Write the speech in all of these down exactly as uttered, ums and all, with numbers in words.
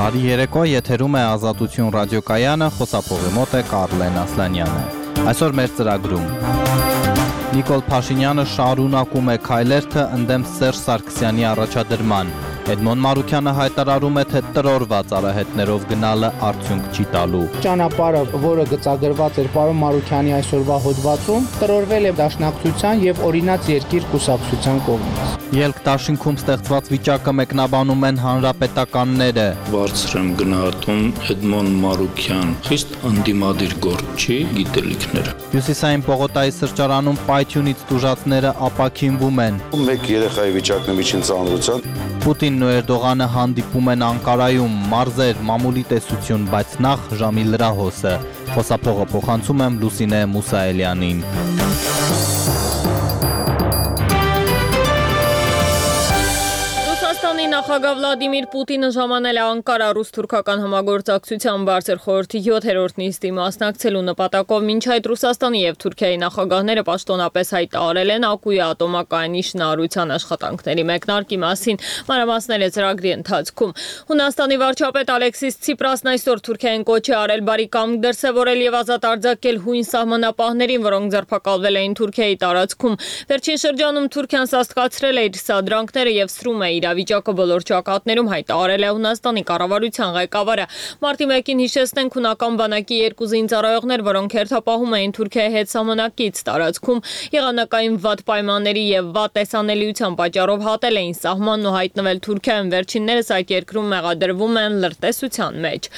Բարի երեկո, եթերում է Ազատություն ռադիոկայանը, խոսափողի մոտ է Կարլեն Ասլանյանը։ Այսօր մեր ծրագրում Նիկոլ Փաշինյանը շարունակում է քայլերթը ընդդեմ Սերժ Սարգսյանի առաջադրման։ Էդմոն Մարուքյանը հայտարարում է, թե տրորված արահետներով գնալը արդյունք չի տալու։ Ճանապարհը, որը գծագրված էր պարոն Մարուքյանի այսօրվա հոդվածում, տրորվել է Դաշնակցության եւ Օրինաց երկիր կուսակցության կողմից։ Ելք դաշինքում ստեղծված վիճակը մեկնաբանում են հանրապետականները։ Բարձր եմ գնահատում Էդմոն Մարուքյան, խիստ ընդդիմադիր գործչի գիտելիքները։ Հյուսիսային Պողոտայի սրճարանում պայթյունից տուժածները ապաքինվում են։ Մեկ երեխայի վիճակն է միջին ծանրության։ Պուտինն ու Էրդողանը հանդիպում են Անկարայում, մարզեր, մամուլի տեսություն, բայց նախ ժամի լրահոսը։ Խոսափողը փոխանցում եմ Լուսինե Մուսաելյանին։ Ռուսաստանի նախագահ Վլադիմիր Պուտինը ժամանել է Անկարա ռուս-թուրքական համագործակցության բարձր խորհրդի յոթերորդ նիստի մասնակցելու նպատակով։ Մինչ այդ Ռուսաստանի եւ Թուրքիայի նախագահները պաշտոնապես հայտարարել են Ակուի ատոմակայանի շինարարության աշխատանքների մեկնարկի մասին, մանրամասները ծրագրի ընթացքում։ Հունաստանի վարչապետ Ալեքսիս Ցիպրասն այսօր Թուրքիային կոչ է արել բարի կամք դրսևորել եւ ազատ արձակել հույն սահմանապահներին, որոնք ձերբակալվել էին Թուրքիայի տարածքում։ Վերջին շրջանում Թուրքիան սաստկացրել է իր սադրանքները եւ սրում է իրավիճակը բոլոր ճակատներում, հայտարարել է Հունաստանի կառավարության ղեկավարը։ Մարտի մեկին հիշեցնենք հունական բանակի երկու զինծառայողներ, որոնք հերթապահում էին Թուրքիայի հետ սահմանակից տարածքում, եղանակային վատ պայմանների եւ վատ տեսանելիության պատճառով հատել էին սահմանն ու հայտնվել Թուրքիայում։ Վերջիններս այդ երկրում մեղադրվում են լրտեսության մեջ։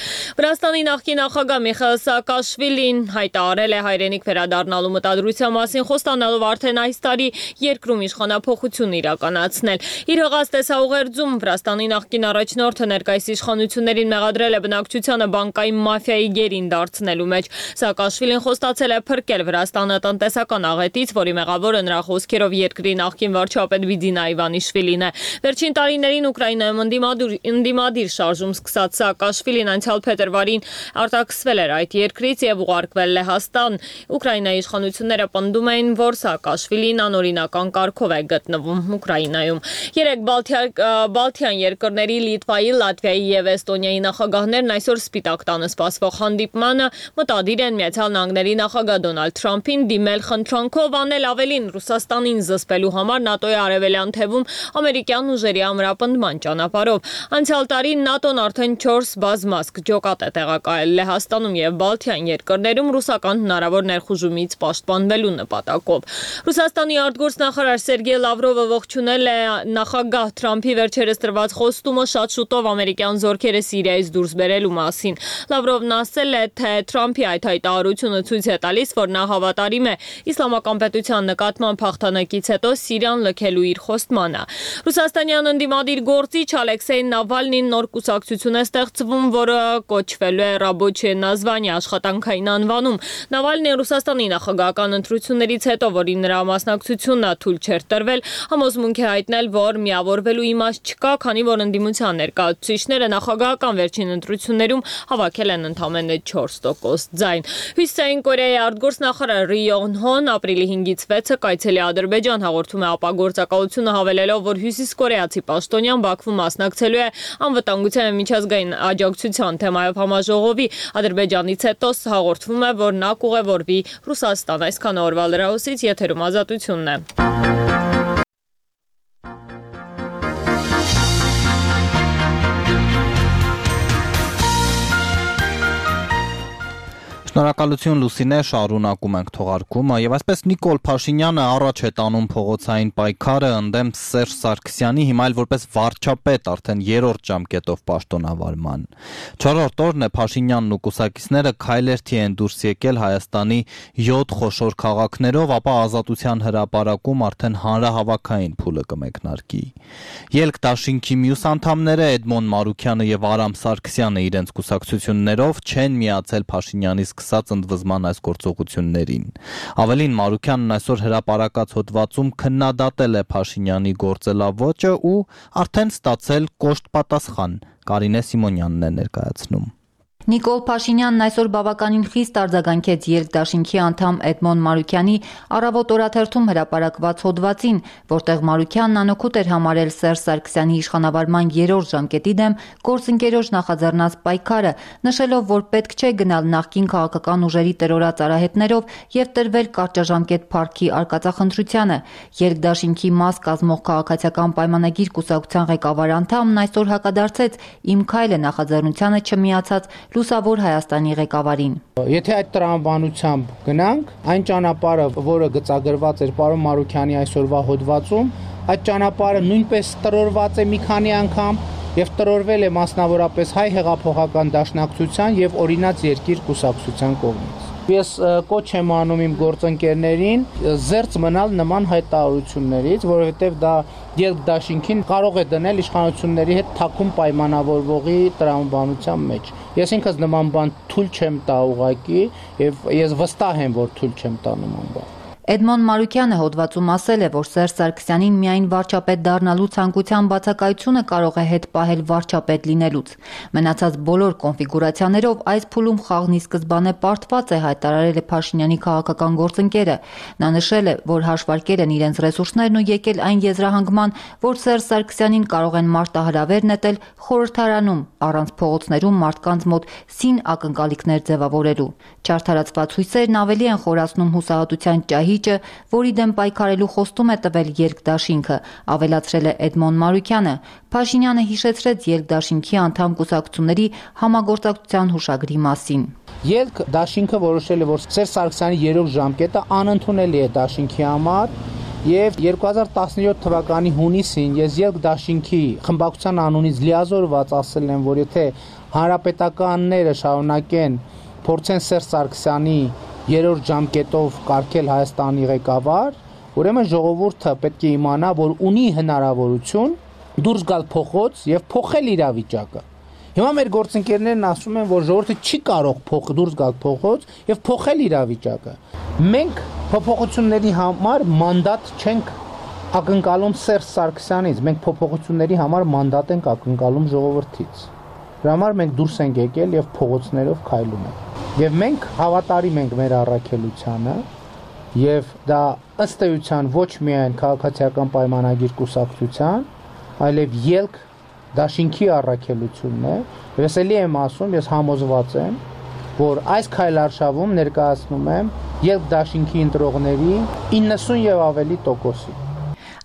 Վրաստանի նախկին նախագահ Միխայիլ Սաակաշվիլին հայտարարել է հայրենիք վերադառնալու մտադրության մասին, խոստանալով արդեն այս տարի երկրում իշխանափոխություն իրականացնել։ Իր հղած տեսաուղերձում Վրաստանի նախկին առաջնորդը ներկայիս իշխանություններին մեղադրել է բնակչությանը բանկային մաֆիայի գերին դարձնելու մեջ։ Սաակաշվիլին խոստացել է փրկել Վրաստանը տնտեսական աղետից, որի մեղավորը նրա խոսքերով երկրի նախկին վարչապետ Վիդինա Իվանիշվիլին է։ Վերջին տարիներին Ուկրաինայում ընդդիմադիր ընդդիմադիր շարժում սկսած Սաակաշվիլին անցյալ փետրվարին արտաքսվել էր այդ երկրից եւ ուղարկվել Լեհաստան։ Ուկրաինայի իշխանությունները պնդում էին, որ Սաակաշվիլին անօրինական կարգով է գտնվում Ուկրաինայում։ Երեք Բալթյան երկրների Լիտվայի, Լատվիայի եւ Էստոնիայի նախագահներն այսօր Սպիտակ տանը սպասվող հանդիպմանը մտադիր են Միացյալ Նահանգների նախագահ Դոնալդ Թրամփին դիմել խնդրանքով անել ավելին Ռուսաստանին զսպելու համար ՆԱՏՕ-ի արևելյան թևում ամերիկյան ուժերի ամրապնդման ճանապարհով։ Անցյալ տարի ՆԱՏՕ-ն արդեն չորս բազմազգ ջոկատ է տեղակայել Լեհաստանում եւ Բալթյան երկրներում ռուսական հնարավոր ներխուժումից պաշտպանվելու նպատակով։ Ռուսաստանի արտգործնախարար Սերգեյ Լավրովը ողջունել է նախագահ Թրամփի վերջերս տրված խոստումը շատ շուտով ամերիկյան զորքերը Սիրիայից դուրս բերելու մասին։ Լավրովն ասել է, թե Թրամփի այդ հայտարարությունը ցույց է տալիս, որ նա հավատարիմ է իսլամական պետության նկատմամբ հաղթանակից հետո Սիրիան լքելու իր խոստմանը։ Ռուսաստանյան ընդդիմադիր գործիչ Ալեքսեյ Նավալնին նոր կուսակցություն է ստեղծվում, որը կոչվելու է Ռաբոչե Նազվանի աշխատանքային անվանում։ Նավալնին Ռուսաստանի նախագահական ընտրություններից հետո, որի նրա մասնակցությունը թույլ չէր տրվել, համոզմունք է հայտնել, որ միավորվելու իմաստ չկա, քանի որ ընդդիմության ներկայացուցիչները նախագահական վերջին ընտրություններում հավաքել են ընդամենը չորս տոկոս ձայն։ Հյուսիսային Կորեայի արտգործնախարար Րի Յոնգ Հոն ապրիլի հինգից վեցը կայցելի Ադրբեջան, հաղորդում է ապագործակալությունը, հավելելով, որ հյուսիս կորեացի պաշտոնյան Բաքվում մասնակցելու է անվտանգության և միջազգային աջակցության թեմայով համաժողովի։ Ադրբեջանից հետո հաղորդվում է, որ նա կուղևորվի Ռուսաստան։ Այսքան օրվա լրահոսից եթերում Ազատությունն է։ Շնորհակալություն Լուսինե, շարունակում ենք թողարկումը եւ այսպես Նիկոլ Փաշինյանը առաջ է տանում փողոցային պայքարը ընդդեմ Սերժ Սարգսյանի, հիմա էլ որպես վարչապետ արդեն երրորդ ժամկետով պաշտոնավարման։ Չորրորդ օրն է Փաշինյանն ու կուսակիցները քայլերթի են դուրս եկել Հայաստանի յոթ խոշոր քաղաքներով, ապա Ազատության հրապարակում արդեն հանրահավաքային փուլը կմեկնարկի։ Ելք դաշինքի մյուս անդամները Էդմոն Մարուքյանը եւ Արամ Սարգսյանը իրենց կուսակցություններով չեն միացել Փաշինյանի սկսած ընդվզման այս գործողություններին։ Ավելին, Մարուքյանն այսօր հրապարակած հոդվածում քննադատել է Փաշինյանի գործելավոճը ու արդեն ստացել կոշտ պատասխան։ Կարինե Սիմոնյանն է ներկայացնում։ Նիկոլ Փաշինյանն այսօր բավականին խիստ արձագանքեց Երկդաշինքի անդամ Էդմոն Մարուքյանի առավոտ օրաթերթում հրապարակված հոդվածին, որտեղ Մարուքյանն անօգուտ էր համարել Սերժ Սարգսյանի իշխանավարման երրորդ ժամկետի դեմ գործընկերոջ նախաձեռնած պայքարը, նշելով, որ պետք չէ գնալ նախկին քաղաքական ուժերի տրորած արահետներով եւ տրվել կարճաժամկետ փառքի արկածախնդրությանը։ Երկդաշինքի մաս կազմող քաղաքացիական պայմանագիր կուսակցության ղեկավար անդամն այսօր հակադարձեց Իմ քայլը նախաձեռնությանը չմիացած Լուսավոր Հայաստանի ղեկավարին։ Եթե այդ տրամաբանությամբ գնանք, այն ճանապարհը, որը գծագրված էր պարոն Մարուքյանի այսօրվա հոդվածում, այդ ճանապարհը նույնպես տրորված է մի քանի անգամ եւ տրորվել է մասնավորապես Հայ հեղափոխական դաշնակցության եւ Օրինաց երկիր կուսակցության կողմից։ Ես կոչ եմ անում իմ գործընկերներին զերծ մնալ նման հայտարարություններից, որովհետև դա Երկդաշինքին կարող է դնել իշխանությունների հետ թաքուն պայմանավորվողի տրամաբանության մեջ։ Ես ինքս նման բան թույլ չեմ տա ուղղակի եւ ես վստահ եմ, որ թույլ չեմ տա նման բան։ Էդմոն Մարուքյանը հոդվածում ասել է, որ Սերժ Սարգսյանին միայն վարչապետ դառնալու ցանկության բացակայությունը կարող է հետ պահել վարչապետ լինելուց։ Մնացած բոլոր կոնֆիգուրացիաներով այս փուլում խաղն ի սկզբանե պարտված է, հայտարարել է Փաշինյանի քաղաքական գործընկերը։ Նա նշել է, որ հաշվարկել են իրենց ռեսուրսներն ու եկել այն եզրահանգման, որ Սերժ Սարգսյանին կարող են մարտահրավեր նետել խորհրդարանում, առանց փողոցներում մարդկանց մոտ սին ակնկալիքներ ձևավորելու։ Չարդարացված հույսերն ավելի են խորացնում հուսահատության ճահիճը, որի դեմ պայքարելու խոստում է տվել Երկդաշինքը, ավելացրել է Էդմոն Մարուքյանը։ Փաշինյանը հիշեցրեց Երկդաշինքի անդամ կուսակցությունների համագործակցության հուշագրի մասին։ Երկդաշինքը որոշել է, որ Սերժ Սարգսյանի երրորդ ժամկետը անընդունելի է դաշինքի համար, եւ երկու հազար տասնյոթ թվականի հունիսին ես Երկդաշինքի խմբակցության անունից լիազորված ասել եմ, որ եթե հանրապետականները շարունակեն փորձեն Սերժ Սարգսյանի երրորդ ժամկետով կարգել Հայաստանի ղեկավար, ուրեմն ժողովուրդը պետք է իմանա, որ ունի հնարավորություն դուրս գալ փողոց եւ փոխել իրավիճակը։ Հիմա մեր գործընկերներն ասում են, որ ժողովուրդը չի կարող փոխ դուրս գալ փողոց եւ փոխել իրավիճակը։ Մենք փոփոխությունների համար մանդատ չենք ակնկալում Սերժ Սարգսյանից, մենք փոփոխությունների համար մանդատ ենք ակնկալում ժողովրդից։ Դրա համար մենք դուրս ենք եկել եւ փողոցներով քայլում ենք։ Եվ մենք հավատարիմ ենք մեր առաքելությանը եւ դա ըստ էության ոչ միայն քաղաքացիական պայմանագիր կուսակցության, այլև ելք դաշինքի առաքելությունն է։ Ես էլի եմ ասում, ես համոզված եմ, որ այս քայլարշավում ներկայացնում եմ ելք դաշինքի ընտրողների իննսուն եւ ավելի տոկոսի։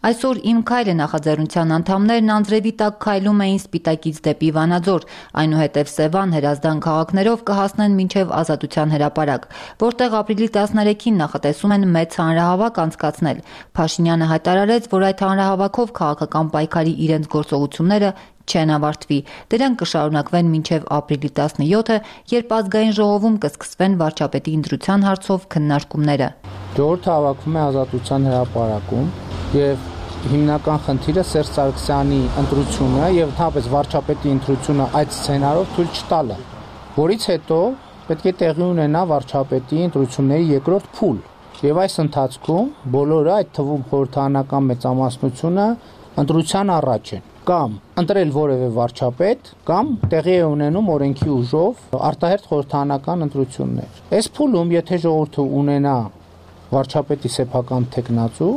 Այսօր Իմ քայլը նախաձեռնության անդամներն անձրևի տակ քայլում էին Սպիտակից դեպի Վանաձոր, այնուհետև Սևան, Հրազդան քաղաքներով կհասնեն մինչև Ազատության հրապարակ, որտեղ ապրիլի տասներեքին նախատեսում են մեծ հանրահավաք անցկացնել։ Փաշինյանը հայտարարեց, որ այդ հանրահավաքով քաղաքական պայքարի իրենց գործողությունները չեն ավարտվի։ Դրանք կշարունակվեն մինչև ապրիլի տասնյոթը, երբ ազգային ժողովում կսկսվեն վարչապետի ընտրության հարցով քննարկումները։ Ժողովուրդը հավաքվում է Ազատության հրապարակում եւ հիմնական խնդիրը Սերժ Սարգսյանի ընտրությունը եւ ընդհանրապես վարչապետի ընտրությունը այդ սցենարով թույլ չտալը, որից հետո պետք է տեղի ունենա վարչապետի ընտրությունների երկրորդ փուլ։ Եվ այս ընթացքում բոլորը, այդ թվում խորհրդարանական մեծամասնությունը, ընտրության առաջ են կամ ընտրել որևէ վարչապետ, կամ տեղի է ունենում օրենքի ուժով արտահերթ խորհրդարանական ընտրություններ։ Այս փուլում, եթե ժողովուրդը ունենա վարչապետի սեփական թեկնածու,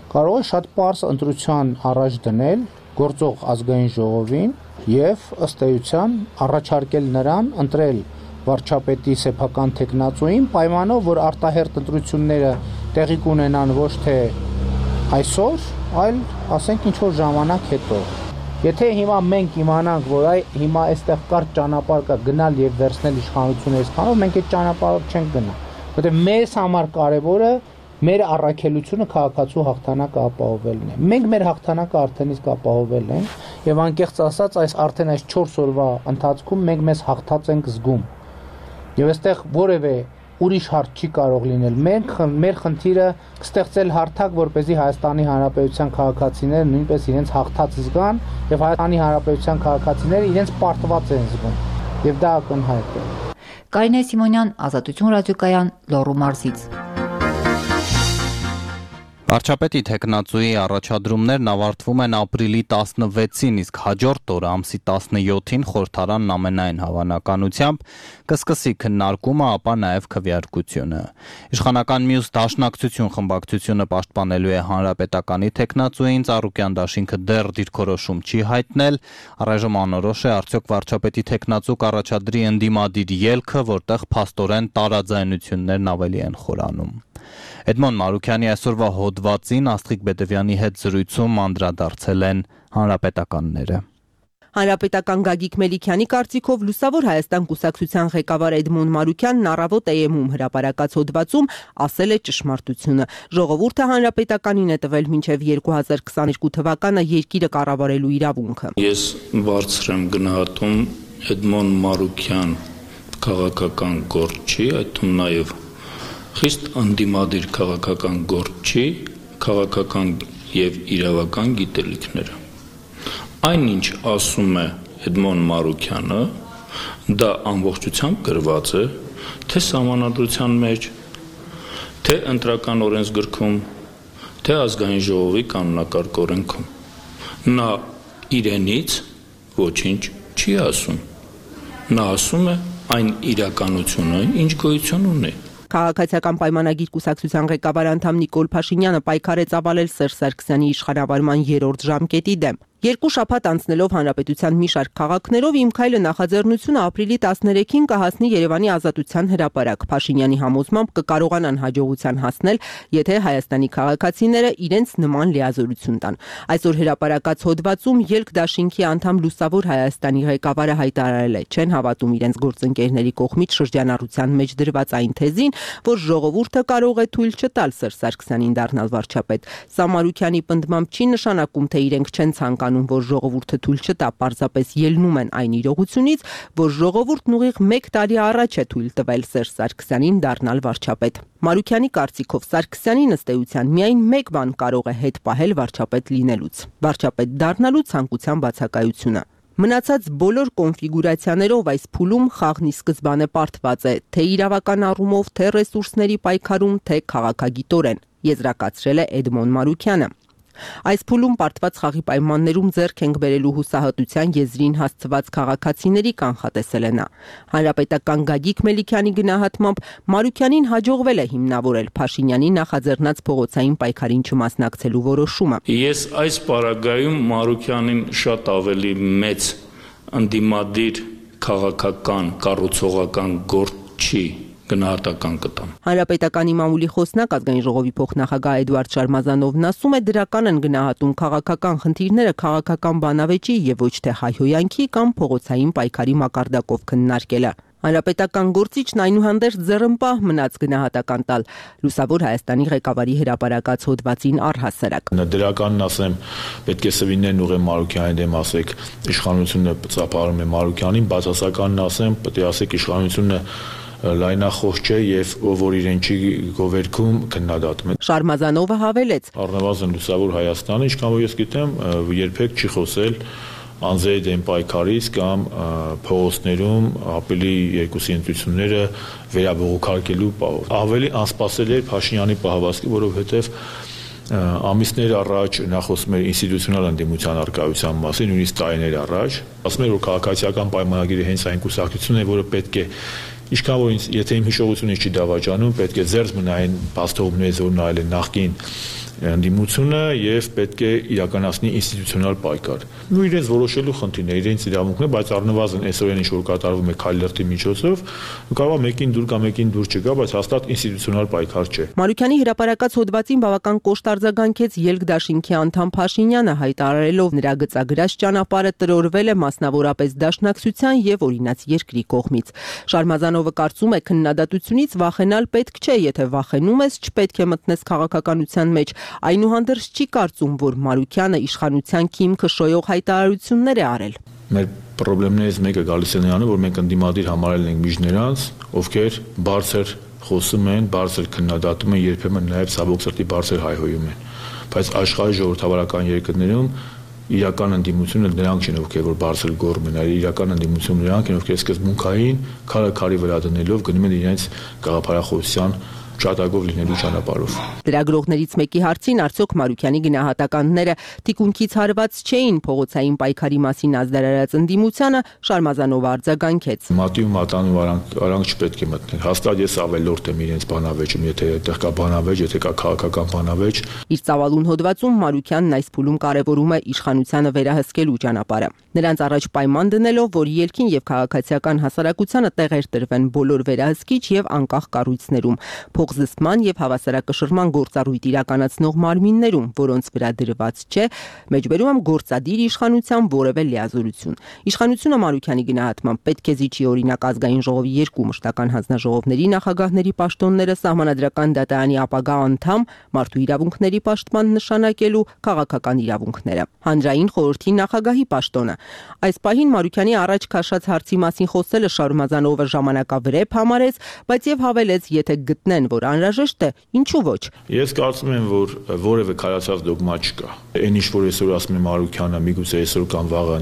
կարող է շատ պարզ ընտրության առաջ դնել գործող ազգային ժողովին եւ ըստ էության առաջարկել նրան ընտրել վարչապետի սեփական թեկնածուին, պայմանով, որ արտահերթ ընտրությունները տեղի կունենան ոչ թե այսօր, այլ ասենք ինչ որ ժամանակ հետո։ Եթե հիմա մենք իմանանք, որ այ հիմա այստեղ կարճ ճանապարհ կա գնալ եւ վերցնել իշխանությունը այսքանով, մենք այդ ճանապարհով չենք գնա, որտեղ մեզ համար կարևորը մեր առաքելությունը քաղաքացու հաղթանակը ապահովելն է։ Մենք մեր հաղթանակը արդեն իսկ ապահովել ենք եւ անկեղծ ասած այս արդեն այս չորս օրվա ընթացքում մենք մեզ հաղթած ենք զգում։ Եվ այստեղ որևէ ուրիշ հարց չի կարող լինել։ Մենք մեր խնդիրը ստեղծել հարթակ, որպեսզի Հայաստանի Հանրապետության քաղաքացիները նույնպես իրենց հաղթած զգան եւ Հայաստանի Հանրապետության քաղաքացիները իրենց պարտված են զգում։ Եվ դա ակնհայտ է։ Կարինե Սիմոնյան, Ազատություն ռադիոկայան, Լոռու մարզից։ Վարչապետի թեկնածուի առաջադրումներն ավարտվում են ապրիլի տասնվեցին, իսկ հաջորդ օրը ամսի տասնյոթին խորհրդարանն ամենայն հավանականությամբ կսկսի քննարկումը, ապա նաև քվեարկությունը։ Իշխանական մյուս դաշնակցություն խմբակցությունը պաշտպանելու է հանրապետականի թեկնածուին, Ծառուկյան դաշինքը դեռ դիրքորոշում չի հայտնել, առայժմ անորոշ է արդյոք վարչապետի թեկնածու կառաջադրի ընդդիմադիր ելքը, որտեղ փաստորեն տարաձայնություններն ավելի են խորանում։ Էդմոն Մարուքյանի այսօրվա հոդվածին Աստղիկ Բեդևյանի հետ զրույցում անդրադարձել են հանրապետականները։ Հանրապետական Գագիկ Մելիքյանի կարծիքով Լուսավոր Հայաստան կուսակցության ղեկավար Էդմոն Մարուքյանն առավոտ Է Էմ-ում հրապարակած հոդվածում ասել է ճշմարտությունը։ Ժողովուրդը հանրապետականին է տվել մինչև երկու հազար քսաներկու թվականը երկիրը կառավարելու իրավունքը։ Ես բարձր եմ գնահատում Էդմոն Մարուքյան քաղաքական գործի, այդ թվում նաև խիստ ընդդիմադիր քաղաքական գործի, քաղաքական եւ իրավական գիտելիքները։ Այնինչ ասում է Էդմոն Մարուքյանը, դա ամբողջությամբ գրված է թե սահմանադրության մեջ, թե ընտրական օրենսգրքում, թե ազգային ժողովի կանոնակարգ օրենքում։ Նա իրենից ոչինչ չի ասում։ Նա ասում է այն իրականությունը, ինչ գոյություն ունի։ Քաղաքացիական պայմանագիր կուսակցության ղեկավար անդամ Նիկոլ Փաշինյանը պայքարեց ավալել Սերժ Սարգսյանի իշխանավարման երրորդ ժամկետի դեմ։ Երկու շաբաթ անցնելով հանրապետության մի շարք քաղաքներով Իմ քայլը նախաձեռնությունը ապրիլի տասներեքին կհասնի Երևանի Ազատության հրապարակ։ Փաշինյանի համոզմամբ կկարողանան հաջողության հասնել, եթե Հայաստանի քաղաքացիները իրենց նման լիազորություն տան։ Այսօր հրապարակած հոդվածում ելք դաշինքի անդամ Լուսավոր Հայաստանի ղեկավարը հայտարարել է, չեն հավատում իրենց գործընկերների կողմից շրջանառության մեջ դրված այն թեզին, որ ժողովուրդը կարող է թույլ չտալ Սերժ Սարգսյանին դառնալ վարչապետ։ Սա Մարուքյանի պնդմամբ չի նշանակում, թե իրենք չեն ցանկանում, որ ժողովուրդը թույլ չտա, պարզապես ելնում են այն իրողությունից, որ ժողովուրդն ուղիղ մեկ տարի առաջ է թույլ տվել Սերժ Սարգսյանին դառնալ վարչապետ։ Մարուքյանի կարծիքով Սարգսյանին ըստ էության միայն մեկ բան կարող է հետ պահել վարչապետ լինելուց՝ վարչապետ դառնալու ցանկության բացակայությունը։ Մնացած բոլոր կոնֆիգուրացիաներով այս փուլում խաղն ի սկզբանե պարտված է, թե իրավական առումով, թե ռեսուրսների պայքարում, թե քաղաքագիտորեն, եզրակացրել է Էդմոն Մարուքյանը։ Այս փուլում պարտված խաղի պայմաններում ձեռք ենք բերելու հուսահատության եզրին հասցված քաղաքացիների կանխատեսել է նա։ Հանրապետական Գագիկ Մելիքյանի գնահատմամբ Մարուքյանին հաջողվել է հիմնավորել Փաշինյանի նախաձեռնած փողոցային պայքարին չմասնակցելու որոշումը։ Ես այս պարագայում Մարուքյանին շատ ավելի մեծ ընդդիմադիր քաղաքական կառուցողական գործի գնահատական կտամ։ Հանրապետականի մամուլի խոսնակ ազգային ժողովի փոխնախագահ Էդուարդ Շարմազանովն ասում է դրական են գնահատում քաղաքական խնդիրները քաղաքական բանավեճի եւ ոչ թե հայհոյանքի կամ փողոցային պայքարի մակարդակով քննարկելը։ Հանրապետական գործիչն այնուհանդերձ ձեռնպահ մնաց գնահատական տալ Լուսավոր Հայաստանի ղեկավարի հրապարակած հոդվածին առհասարակ։ Դրականն ասեմ, պետք է սվիններն ուղղեն Մարուքյանի դեմ, ասեք իշխանությունը ծափարում է Մարուքյանին, բացասականն ասեմ, պետք է ասեք իշխանությունը լայնախոհ չէ եւ որ իրեն չի գովերքում քննադատում է։ Շարմազանովը հավելեց. Առնվազն Լուսավոր Հայաստանը, ինչքան որ ես գիտեմ, երբեք չի խոսել անձերի դեմ պայքարից կամ փողոցներում ապրիլի երկուսի ընտրությունները վերաբողոքարկելու պահով։ Ավելի անսպասելի էր Փաշինյանի պահվածքը, որովհետեւ ամիսներ առաջ նա խոսում էր ինստիտուցիոնալ ընդդիմության արկայության մասին, նույնիսկ տարիներ առաջ, ասում էր, որ քաղաքացիական պայմանագիրը հենց այն կուսակցությունն է, որը պետք է Ինչքան որ եթե իմ հիշողությունից չի դավաճանում, պետք է ձեռք մնային փաստողություններից, որ նայել են նախկին ընդդիմությունը եւ պետք է իրականացնի ինստիտուցիոնալ պայքար։ Ու իրենց որոշելու խնդիրն է, իրենց իրավունքն է, բայց առնվազն այսօրեն ինչ որ կատարվում է քայլերթի միջոցով, կարող է մեկին դուր կամ մեկին դուր չգա, բայց հաստատ ինստիտուցիոնալ պայքար չէ։ Մարուքյանի հրապարակած հոդվածին բավական կոշտ արձագանքեց ելք դաշինքի անդամ Փաշինյանը, հայտարարելով նրա գծագրած ճանապարհը տրորվել է մասնավորապես դաշնակցության եւ օրինաց երկրի կողմից։ Շարմազանովը կարծում է, քննադատությունից վախենալ պետք չէ, եթե վախենում ես, չպետք է մտնես քաղաքականության մեջ։ Այնուհանդերձ չի կարծում, որ Մարուքյանը իշխանության քիմքը շոյող հայտարարություններ է արել։ Մեր խնդիրներից մեկը գալիս է նրանով, որ մենք ընդդիմադիր համարել ենք միջներանց, ովքեր բարձր խոսում են, բարձր քննադատում են, երբեմն նաև ցավոք սրտի բարձր հայհոյում են։ Բայց աշխարհի ժողովրդավարական երկրներում իրական ընդդիմությունը նրանք չեն, ովքեր որ բարձր գոռում են, այլ իրական ընդդիմությունը նրանք են, ովքեր սկզբունքային քարը քարի վրա դնելով գնում են իրենց գաղափարախոսության ջատագով լինելու ճանապարհով։ Լրագրողներից մեկի հարցին արդյոք Մարուքյանի գնահատականները թիկունքից հարված չէին փողոցային պայքարի մասին ազդարարած ընդդիմությանը, Շարմազանովը արձագանքեց. Մատի ու մատանու արանք, արանք չպետք է մտնել։ Հաստատ ես ավելորդ եմ իրենց բանավեճում, եթե այդտեղ կա բանավեճ, եթե կա քաղաքական բանավեճ։ Իր ծավալուն հոդվածում Մարուքյանն այս փուլում կարևորում է իշխանությանը վերահսկելու ճանապարհը։ Նրանց առաջ պայման դնելով, որ ելքին եւ քաղաքացիական հասարակությանը տեղեր տրվեն բոլոր վերահսկիչ եւ անկախ կառույցներում, փոխզսպման եւ հավասարակշռման գործառույթ իրականացնող մարմիններում, որոնց վրա դրված չէ, մեջբերում եմ գործադիր իշխանության որևէ լիազորություն։ Իշխանությունը Մարուքյանի գնահատմամբ պետք է զիջի օրինակ ազգային ժողովի երկու մշտական հանձնաժողովների նախագահների պաշտոնները, սահմանադրական դատարանի ապագա անդամ, մարդու իրավունքների պաշտպան նշանակելու քաղաքական իրավունքները, հանրային խորհրդի նախագահի պաշտոնը։ Այս պահին Մարուքյանի առաջ քաշած հարցի մասին խոսելը Շարմազանովը ժամանակավրեպ համարեց, բայց եւ հավելեց, եթե գտնեն, որ անհրաժեշտ է, ինչու ոչ։ Ես կարծում եմ, որ որևէ քարացած դոգմա չկա։ Այն ինչ որ այսօր ասում է Մարուքյանը, միգուցե այսօր կամ վաղը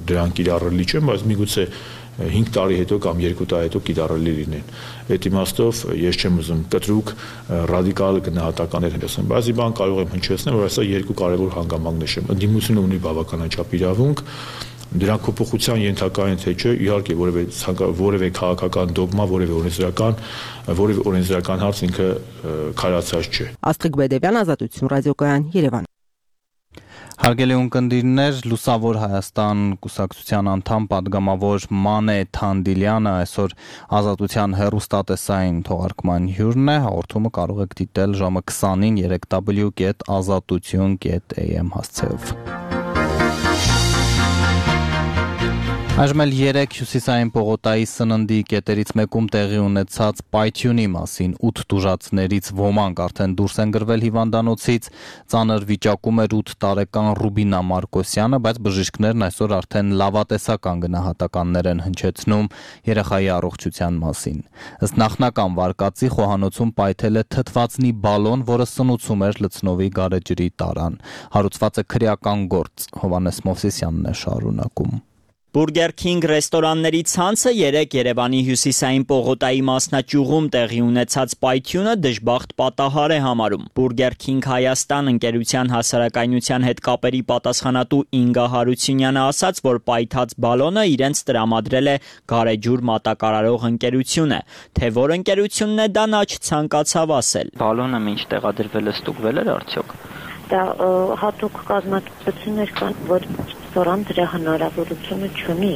դրանք իրարելի չեն, բայց միգուցե հինգ տարի հետո կամ երկու տարի հետո կիրառելի լինեն։ Այդ իմաստով ես չեմ ուզում կտրուկ ռադիկալ գնահատականներ ասեմ, բայց մի բան կարող եմ հնչեցնել, որ այսա երկու կարևոր հանգամանք նշեմ։ Ընդդիմությունը ունի բավականաչափ իրավունք, դրանք փոփոխության ենթակա են թե չէ, իհարկե որևէ որևէ քաղաքական դոգմա, որևէ օրենսդրական, որևէ օրենսդրական հարց ինքը քարացած չէ։ Աստղիկ Բեդևյան, Ազատություն, Ռադիոկայան, Երևան։ Հարգելի ունկնդիրներ, Լուսավոր Հայաստան կուսակցության անդամ պատգամավոր Մանե Թանդիլյանը այսօր Ազատության հեռուստատեսային թողարկման հյուրն է, հաղորդումը կարող եք դիտել ժամը քսանին երեք w կետ ազատություն կետ a m հասցեով։ Այժմ էլ երեք հյուսիսային պողոտայի սննդի կետերից մեկում տեղի ունեցած պայթյունի մասին ութ տուժածներից ոմանք արդեն դուրս են գրվել հիվանդանոցից, ծանր վիճակում էր ութ տարեկան Ռուբինա Մարկոսյանը, բայց բժիշկներն այսօր արդեն լավատեսական գնահատականներ են հնչեցնում երեխայի առողջության մասին։ Ըստ նախնական վարկածի խոհանոցում պայթել է թթվածնի բալոն, որը սնուցում էր լցնովի գարեջրի տարան։ Հարուցված է քրեական գործ, Հովհաննես Մովսիսյանն է շարունակում։ Burger King ռեստորանների ցանցը երեք Երևանի հյուսիսային պողոտայի մասնաճյուղում տեղի ունեցած պայթյունը դժբախտ պատահար է համարում։ Burger King Հայաստան ընկերության հասարակայնության հետ կապերի պատասխանատու Ինգա Հարությունյանը ասաց, որ պայթած բալոնը իրենց տրամադրել է Գարեջուր մատակարարող ընկերությունը, թե որ ընկերությունն է դա նա չցանկացավ ասել։ Բալոնը ինչ տեղադրվել է, ստուգվել էր արդյոք։ Դա հատուկ կազմակերպություններ կան, որ ռեստորան դրա հնարավորությունը չունի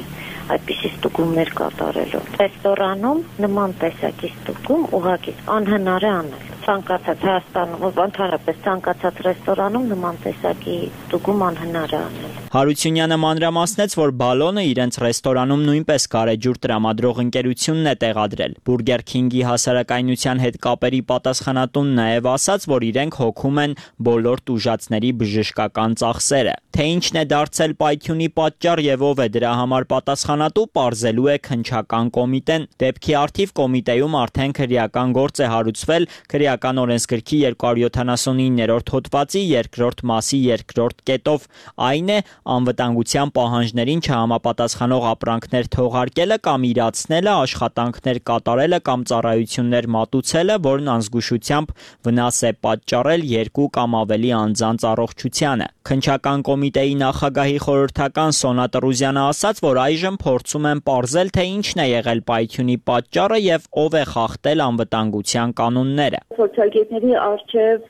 այդպիսի ստուգումներ կատարելու։ Ռեստորանում նման տեսակի ստուգում ուղղակի անհնար է անել։ Ցանկացած Հայաստանում, ընդհանրապես ցանկացած ռեստորանում նման տեսակի ստուգում անհնար է անել։ Հարությունյանը մանրամասնեց, որ բալոնը իրենց ռեստորանում նույնպես Գարեջուր տրամադրող ընկերությունն է տեղադրել։ Burger King-ի հասարակայնության հետ կապերի պատասխանատուն նաև ասաց, որ իրենք հոգում են բոլոր տուժածների բժշկական ծախսերը։ Թե ինչն է դարձել պայթյունի պատճառ եւ ով է դրա համար պատասխանատու, պարզելու է քննչական կոմիտեն։ Դեպքի առթիվ կոմիտեում արդեն քրեական գործ է հարուցվել քրեական օրենսգրքի երկու հարյուր յոթանասունիններորդ հոդվածի երկրորդ մասի երկրորդ կետով, այն է անվտանգության պահանջներին չհամապատասխանող ապրանքներ թողարկելը կամ իրացնելը, աշխատանքներ կատարելը կամ ծառայություններ մատուցելը, որն անզգուշությամբ վնաս է պատճառել երկու կամ ավելի անձանց առողջությանը։ Քննչական կոմիտեի նախագահի խորհրդական Սոնա Տրուզյանը ասաց, որ այժմ փորձում են պարզել, թե ինչն է եղել պայթյունի պատճառը եւ ով է խախտել անվտանգության կանոնները։ Փորձագետների արժեվ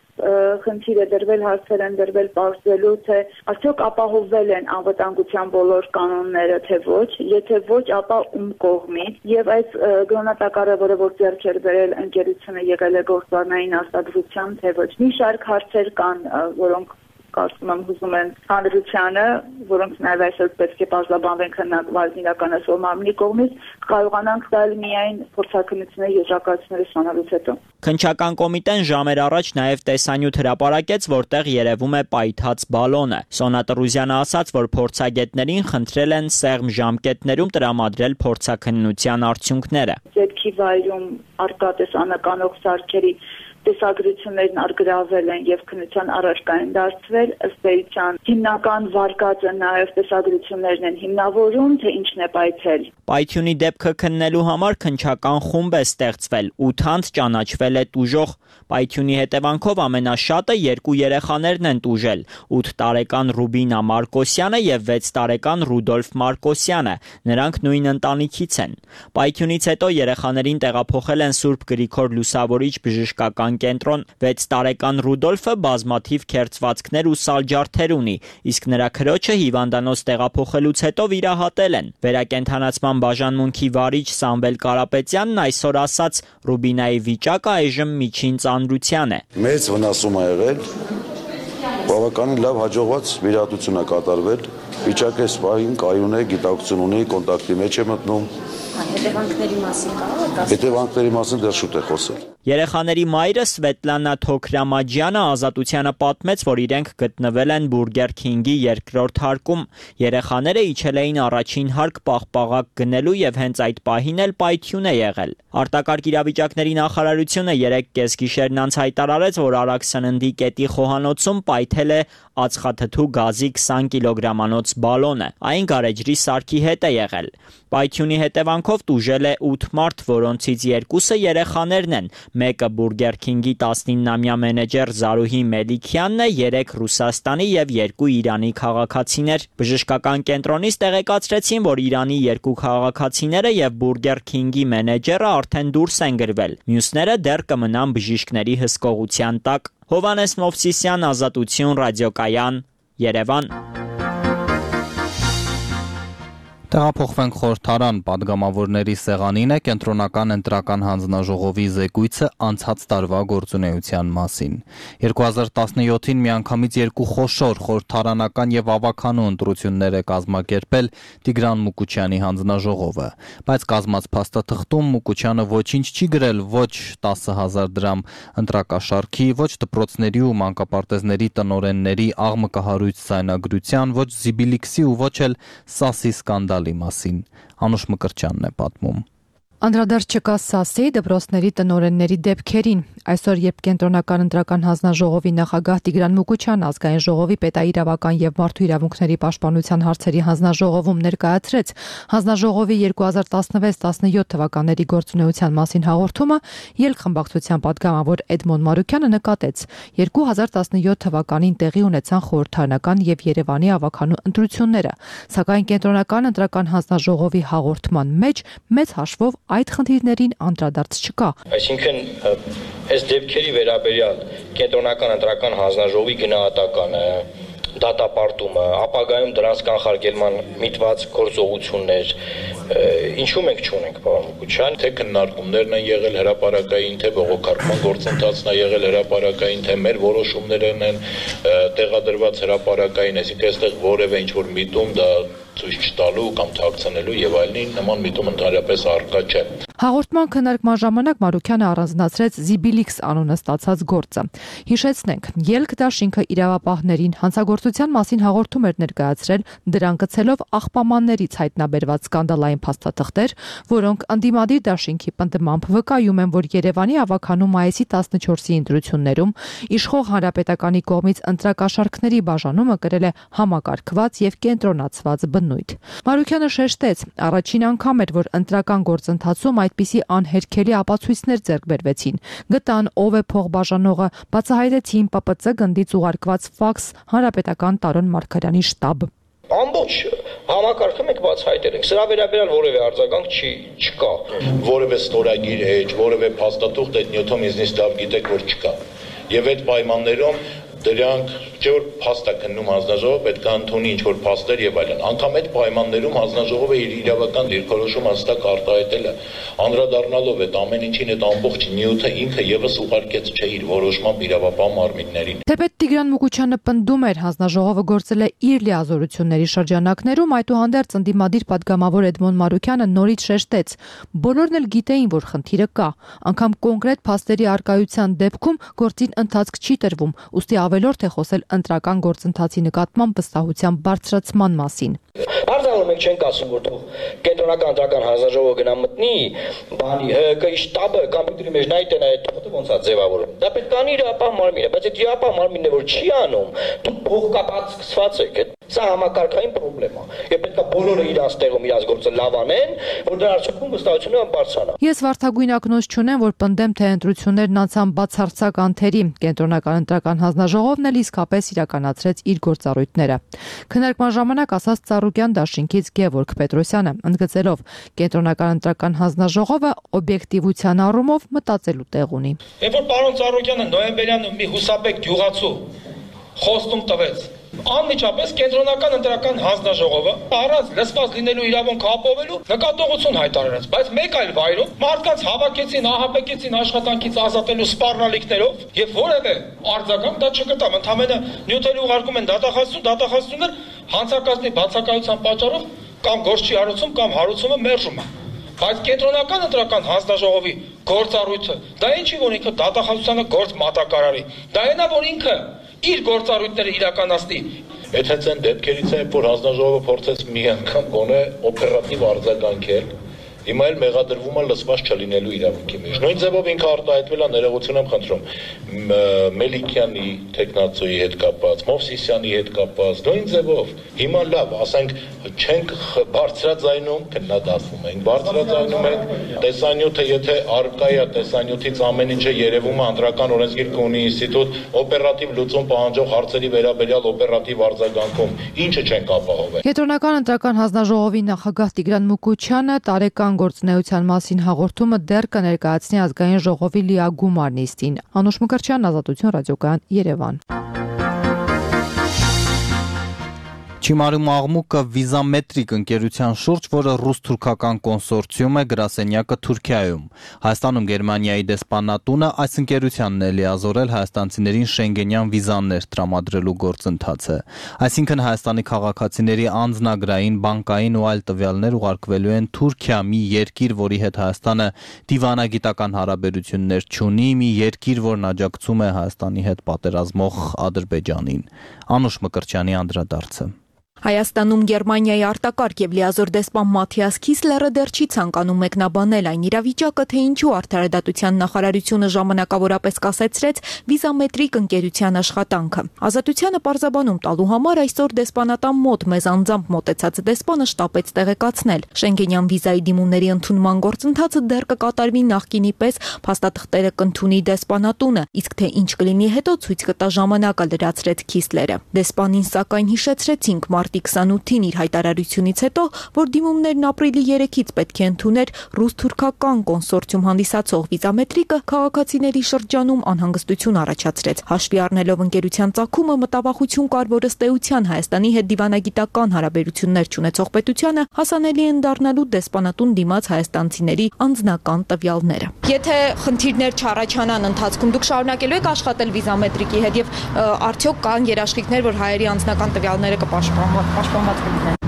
խնդիր է դրվել, հարցեր են դրվել պարզելու, թե արդյոք ապահովվել են անվտանգության բոլոր կանոնները, թե ոչ, եթե ոչ, ապա ում կողմից, եւ այս գնահատակարը, որ ձեռք էր բերել ընկերությունը, եղել է գործառնային արտադրությամբ, թե ոչ։ Մի շարք հարցեր կան, որոնք կարծում եմ հուզում են հանրությանը, որոնք նաև այսօր պետք է բազմաբանվեն քննարկված իրականացվող մարմնի կողմից, կարողանանք տալ միայն փորձաքննությունների եզրակացությունները ստանալուց հետո։ Քննչական կոմիտեն ժամեր առաջ նաև տեսանյութ հրապարակեց, որտեղ երևում է պայթած բալոնը։ Սոնա Տրուզյանը ասաց, որ փորձագետներին խնդրել են սեղմ ժամկետներում տրամադրել փորձաքննության արդյունքները։ Ձեռքի վայրում արկա տեսանականող սարքերի տեսագրություններն արգրավել են եւ քննության առարկա են դարձվել, ըստ էության հիմնական վարկածը նաեւ տեսագրություններն են հիմնավորում, թե ինչն է պայթել։ Պայթյունի դեպքը քննելու համար քննչական խումբ է ստեղծվել, ութ անձ ճանաչվել է տուժող։ Պայթյունի հետևանքով ամենաշատը երկու երեխաներն են տուժել՝ ութ տարեկան Ռուբինա Մարկոսյանը եւ վեց տարեկան Ռուդոլֆ Մարկոսյանը, նրանք նույն ընտանիքից են։ Պայթյունից հետո երեխաներին տեղափոխել են Սուրբ Գրիգոր Լուսավորիչ բժշկական կենտրոն։ վեց տարեկան Ռուդոլֆը բազմաթիվ քերծվածքներ ու սալջարդեր ունի, իսկ նրա քրոջը հիվանդանոց տեղափոխելուց հետո վիրահատել են։ Վերակենդանացման բաժանմունքի վարիչ Սամվել Կարապետյանն այսօր ասաց՝ Ռուբինայի վիճակը այժմ միջին ծանրության է։ Մեծ վնասում է եղել, բավականին լավ հաջողված վիրահատություն է կատարվել, վիճակը այս պահին կայուն է, գիտակցություն ունի, կոնտակտի մեջ է մտնում։ Հետևանքների մասին կա՞ր։ Հետևանքների մասին դեռ շուտ է խոսել։ Երեխաների մայրը Սվետլանա Թոքրամաջյանը Ազատությանը պատմեց, որ իրենք գտնվել են Բուրգեր Քինգի երկրորդ հարկում։ Երեխաները իջել էին առաջին հարկ պաղպաղակ գնելու եւ հենց այդ պահին էլ պայթյուն է եղել։ Արտակարգ իրավիճակների նախարարությունը երեք կեսգիշերն անց հայտարարեց, որ Արաքս սննդի կետի խոհանոցում պայթել է ածխաթթու գազի քսան կիլոգրամանոց բալոնը։ Այն գարեջրի սարքի հետ է եղել։ Պայթյունի հետևանքով տուժել է ութ մարդ, որոնցից երկուսը երեխաներն են։ Մեկը Բուրգեր Քինգի տասնիննամյա մենեջեր Զարուհի Մելիքյանն է, երեք Ռուսաստանի եւ երկու Իրանի քաղաքացիներ։ Բժշկական կենտրոնից տեղեկացրեցին, որ Իրանի երկու քաղաքացիները եւ Բուրգեր Քինգի մենեջերը արդեն դուրս են գրվել։ Մյուսները դեռ կմնան բժիշկների հսկողության տակ։ Հովանես Մովսիսյան, Ազատություն, Ռադիոկայան, Երևան։ Տեղափոխվենք խորհրդարան, падգամավորների սեղանին է կենտրոնական ընտրական հանձնաժողովի զեկույցը անցած տարվա գործունեության մասին։ երկու հազար տասնյոթին միանգամից երկու խոշոր խորհրդարանական եւ ավականու ընտրություններ է կազմակերպել Տիգրան Մուկուչյանի հանձնաժողովը, բայց կազմած փաստաթղթում Մուկուչյանը ոչինչ չի գրել ոչ տասը հազար դրամ ընտրակաշարքի, ոչ դպրոցների ու մանկապարտեզների տնօրենների աղմկահարույց ձայնագրության, ոչ Զիբիլիքսի ու ոչ էլ ՍԱՍ-ի սկանդալ մասին Անուշ Մկրտչյանն է պատմում։ Անդրադարձ չկա ՍԱՍ-ի դպրոցների տնօրենների դեպքերին։ Այսօր, երբ կենտրոնական ընտրական հանձնաժողովի նախագահ Տիգրան Մուկուչյանը ազգային ժողովի պետաիրավական եւ մարդու իրավունքների պաշտպանության հարցերի հանձնաժողովում ներկայացրեց հանձնաժողովի երկու հազար տասնվեց տասնյոթ թվականների գործունեության մասին հաղորդումը, ելք խմբակցության падգամավոր Էդմոն Մարուկյանը նկատեց. երկու հազար տասնյոթ թվականին տեղի ունեցան խորհրդարանական եւ Երևանի ավականու ընտրությունները, սակայն կենտրոնական ընտրական հանձնաժողովի հաղորդման մեջ մեծ հաշվով այդ խնդիրներին անդրադարձ չկա։ Այսինքն այս դեպքերի վերաբերյալ կենտրոնական ընտրական հանձնաժողովի գնահատականը, դատապարտումը, ապագայում դրանց կանխարգելման միտված գործողություններ, ինչու մենք չունենք, պարոն Մուկուչյան, թե քննարկումներն են եղել հրապարակային, թե բողոքարկման գործընթացն է եղել հրապարակային, թե մեր որոշումներն են տեղադրված հրապարակային, այսինքն այստեղ որևէ ինչ-որ միտում դա ցույց չտալու կամ թաքցնելու եւ այլնին նման միտում ընդհանրապես առկա չէ։ Հաղորդման քննարկման ժամանակ Մարուկյանը առանձնացրեց Զիբիլիքս անունը ստացած գործը։ Հիշեցնենք, ելք դաշինքը իրավապահներին հանցագործության մասին հաղորդում էր ներկայացրել, դրան գցելով աղբամաններից հայտնաբերված սկանդալային փաստաթղթեր, որոնք ընդդիմադիր դաշինքի պնդմամբ վկայում են, որ Երևանի ավականու մայիսի տասնչորսի ընտրություններում իշխող հանրապետականի կողմից ընտրակաշարքների բաժանումը կրել է համակարգված եւ կենտրոնացված բնույթ։ Մարուկյանը շեշտեց, առաջին անգամ էր, որ ընտրական գործընթացում այդպիսի անհերքելի ապացույցներ ձեռք բերվեցին։ Գտան ով է փողբաժանողը, բացահայտեցին Պ Պ Ց գնդից ուղարկված ֆաքս հանրապետական Տարոն Մարգարյանի շտաբ։ Ամբողջ համակարգը մենք բացահայտել ենք։ Սրա վերաբերյալ որևէ արձագանք չի չկա։ Որևէ ստորագիր էջ, որևէ փաստաթուղթ այդ նյութում ինձնից լավ գիտեք, որ չկա։ Եվ այդ պայմաններում դրանք չէ որ փաստ է քննում հանձնաժողովը, պետք է ընդունի ինչ-որ փաստեր եւ այլն։ Անկամ այդ պայմաններում հանձնաժողովը իր իրավական դիրքորոշումը հստակ արտահայտել է, անդրադառնալով այդ ամեն ինչին, այդ ամբողջ նյութը ինքը եւս ուղարկեց չէ իր որոշմամբ իրավապահ մարմիններին։ Թեպետ Տիգրան Մուկուչյանը պնդում էր, հանձնաժողովը գործել է իր լիազորությունների շրջանակներում, այդուհանդերձ ընդդիմադիր падգամավոր Էդմոն Մարուկյանը նորից շեշտեց. բոլորն էլ գիտեին, որ խնդիրը կա, անգամ կոնկրետ փաստերի արկայության դեպքում գործին ընթացք չի տրվում, ուստի ավելորդ է խոսել ընտրական գործընթացի նկատմամբ վստահության բարձրացման մասին։ Արձանով մենք չենք ասում, որ թող կենտրոնական ընտրական հանձնաժողովը գնա մտնի, բանի ՀԿ-ի շտաբը կոմպյուտերի մեջ նայ տենա այդ թողը ոնց է ձևավորում։ Դա պետք է իր ապահ մարմինը, բայց այդ ապահ մարմինն է որ չի անում, դու փոխկապած սկսված եք։ Սա համակարգային խնդրեմ է։ Եվ պետք է բոլորը իրանց տեղում իրանց գործը լավ անեն, որ դրա արդյունքում վստահությունը բարձրանա։ Ես վարդագույն ակնոց չունեմ, որ պնդեմ, թե ընտրություններն անցան բացարձակ անթերի։ Կենտրոնական ընտրական հանձնաժողովն էլ իսկապես իրականացրեց իր գործառույթները։ Քննարկման ժամանակ ասաց Ծառուկյան դաշինքից Գևորգ Պետրոսյանը, ընդգծելով, կենտրոնական ընտրական հանձնաժողովը օբյեկտիվության առումով մտածելու տեղ ունի։ Երբ որ պարոն Ծառուկյանը նոյեմբերյան մի հուսապեկ գյուղացու խոստում տվեց, անմիջապես կենտրոնական ընտրական հանձնաժողովը առանց լսված լինելու իրավունք ապահովելու նկատողություն հայտարարեց, բայց մեկ այլ վայրում մարդկանց հավաքեցին, ահաբեկեցին աշխատանքից ազատելու սպառնալիքներով եւ որևէ արձագանք դա չգտավ, ընդամենը նյութերի ուղարկում են դատախազություն, դատախազություններ հանցակազմի բացակայության պատճառով կամ գործ չի հարուցում կամ հարուցումը մերժում է։ Բայց կենտրոնական ընտրական հանձնաժողովի գործառույթը դա ինչի որ ինքը դատախազությանը գործ մատակարարի, դա այնա որ ինքը իր գործառույթները իրականացնի։ Եթե ցեն դեպքերից է, որ հանձնաժողովը փորձեց մի անգամ գոնե օպերատիվ արձագանքել, հիմա էլ մեղադրվում է լսված չլինելու իրավունքի մեջ։ Նույն ձևով ինքը արտահայտվել է ներողություն եմ խնդրում Մելիքյանի տեխնացուի հետ կապված, Մովսիսյանի հետ կապված, նույն ձևով հիմա լավ, ասենք չենք բարձրաձայնում, քննադատվում ենք, բարձրաձայնում ենք տեսանյութը, եթե արկա է տեսանյութից ամեն ինչը երևում է ընտրական օրենսգիր կունի ինստիտուտ օպերատիվ լուծում պահանջող հարցերի վերաբերյալ օպերատիվ արձագանքում, ինչը չենք ապահովել։ Կենտրոնական ընտրական հանձնաժողովի նախագահ Տիգրան Մուկուչյանը տարեկան գործունեության մասին հաղորդումը դեռ կներկայացնի ազգային ժողովի լիագումար նիստին։ Անուշ Մկրտչյան, Ազատություն ռադիոկայան, Երևան։ Չիմարում աղմուկը վիզամետրիկ ընկերության շուրջ, որը ռուս-թուրքական կոնսորցիում է, գրասենյակը Թուրքիայում։ Հայաստանում Գերմանիայի դեսպանատունը այս ընկերությանն է լիազորել հայաստանցիներին շենգենյան վիզաներ տրամադրելու գործընթացը։ Այսինքն Հայաստանի քաղաքացիների անձնագրային, բանկային ու այլ տվյալներ ուղարկվելու են Թուրքիա, մի երկիր, որի հետ Հայաստանը դիվանագիտական հարաբերություններ չունի, մի երկիր, որն աջակցում է Հայաստանի հետ պատերազմող Ադրբեջանին։ Անուշ Մկրտչյանի անդրադարձը։ Հայաստանում Գերմանիայի արտակարգ եւ լիազոր դեսպան Մաթիաս Քիսլերը դեռ չի ցանկանում մեկնաբանել այն իրավիճակը, թե ինչու արդարադատության նախարարությունը ժամանակավորապես կասեցրեց վիզամետրիկ ընկերության աշխատանքը։ Ազատությանը պարզաբանում տալու համար այսօր դեսպանատան մոտ մեզ անձամբ մոտեցած դեսպանը շտապեց տեղեկացնել. Շենգենյան վիզայի դիմումների ընդունման գործընթացը դեռ կկատարվի նախկինի պես, փաստաթղթերը կընդունի դեսպանատունը, իսկ թե ինչ կլինի հետո ցույց կտա ժամանակը, լրացրեց Քիսլերը։ Դեսպանին սակայն հիշեցրեցինք մարտի քսանութին իր հայտարարությունից հետո, որ դիմումներն ապրիլի երեքից պետք է ընդուներ ռուս-թուրքական կոնսորցիում հանդիսացող վիզամետրիկը, քաղաքացիների շրջանում անհանգստություն առաջացրեց։ Հաշվի առնելով ընկերության ծագումը, մտավախություն կար, որ ըստ էության Հայաստանի հետ դիվանագիտական հարաբերություններ չունեցող պետությանը հասանելի են դառնալու դեսպանատուն դիմաց հայաստանցիների անձնական տվյալները։ Եթե խնդիրներ չառաջանան ընթացքում, դուք շարունակելու եք աշխատել վիզամետրիկի հետ եւ արդյոք կան երաշխիքներ, որ հայերի անձնական տվյալները կպաշտպանված կլինեն։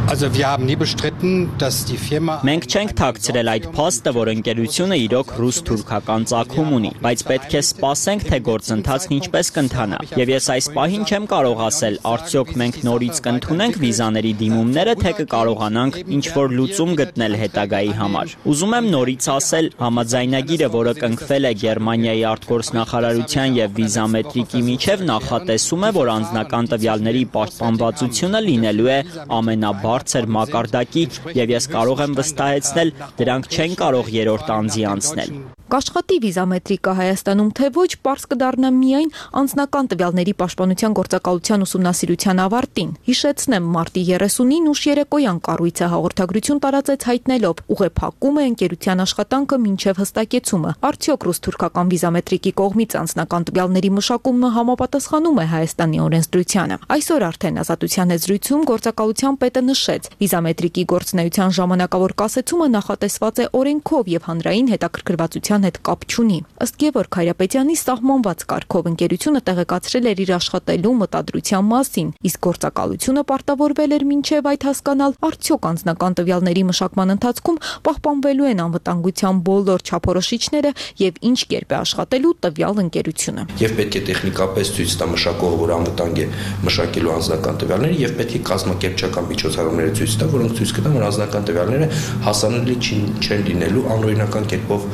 Մենք չենք թաքցրել այդ փաստը, որ ընկերությունը իրոք ռուս-թուրքական ծագում ունի, բայց պետք է սպասենք, թե գործընթացն ինչպես կընթանա։ Եվ ես այս պահին չեմ կարող ասել, արդյոք մենք նորից կընդունենք վիզաների դիմումները, թե կկարողանանք ինչ-որ լուծում գտնել հետագայի համար։ Ուզում եմ նորից ասել, համաձայնագիրը, որը կնքվել է Գերմանիայի արտգործնախարարության եւ վիզամետրիկի միջև, նախատեսում է, որ անձնական տվյալների պաշտպանվածությունը լինելու է ամենաբարձր մակարդակի եւ ես կարող եմ վստահեցնել, դրանք չեն կարող երրորդ անձի անցնել։ Կաշխատի վիզամետրիկը Հայաստանում թե ոչ, պարզ կդառնա միայն անձնական տվյալների պաշտպանության գործակալության ուսումնասիրության ավարտին։ Հիշեցնեմ, մարտի երեսունին ուշ երեկոյան կառույցը հաղորդագրություն տարածեց հայտնելով, ուղեփակում է ընկերության աշխատանքը մինչև հստակեցումը։ Արդյոք ռուս-թուրքական վիզամետրիկի կողմից անձնական տվյալների մշակումը համապատասխանում է Հայաստանի օրենսդրությանը։ Այսօր արդեն Ազատության զրույցում գործակալության պետը նշեց, վիզամետրիկի գործունեության ժամանակավոր կասեցումը նախատեսված է օրենքով եւ հանրային հետաքրքրվածության ընկերության հետ կապ չունի։ Ըստ Գևորգ Հայրապետյանի, սահմանված կարգով ընկերությունը տեղեկացրել էր իր աշխատելու մտադրության մասին, իսկ գործակալությունը պարտավորվել էր մինչև այդ հասկանալ, արդյոք անձնական տվյալների մշակման ընթացքում պահպանվելու են անվտանգության բոլոր չափորոշիչները եւ ինչ կերպ է աշխատելու տվյալ ընկերությունը։ Եվ պետք է տեխնիկապես ցույց տա մշակողը, որ անվտանգ է մշակելու անձնական տվյալները, եւ պետք է կազմակերպչական միջոցառումները ցույց տա, որոնք ցույց կտան, որ անձնական տվյալները հասանելի չեն լինելու անօրինական կերպով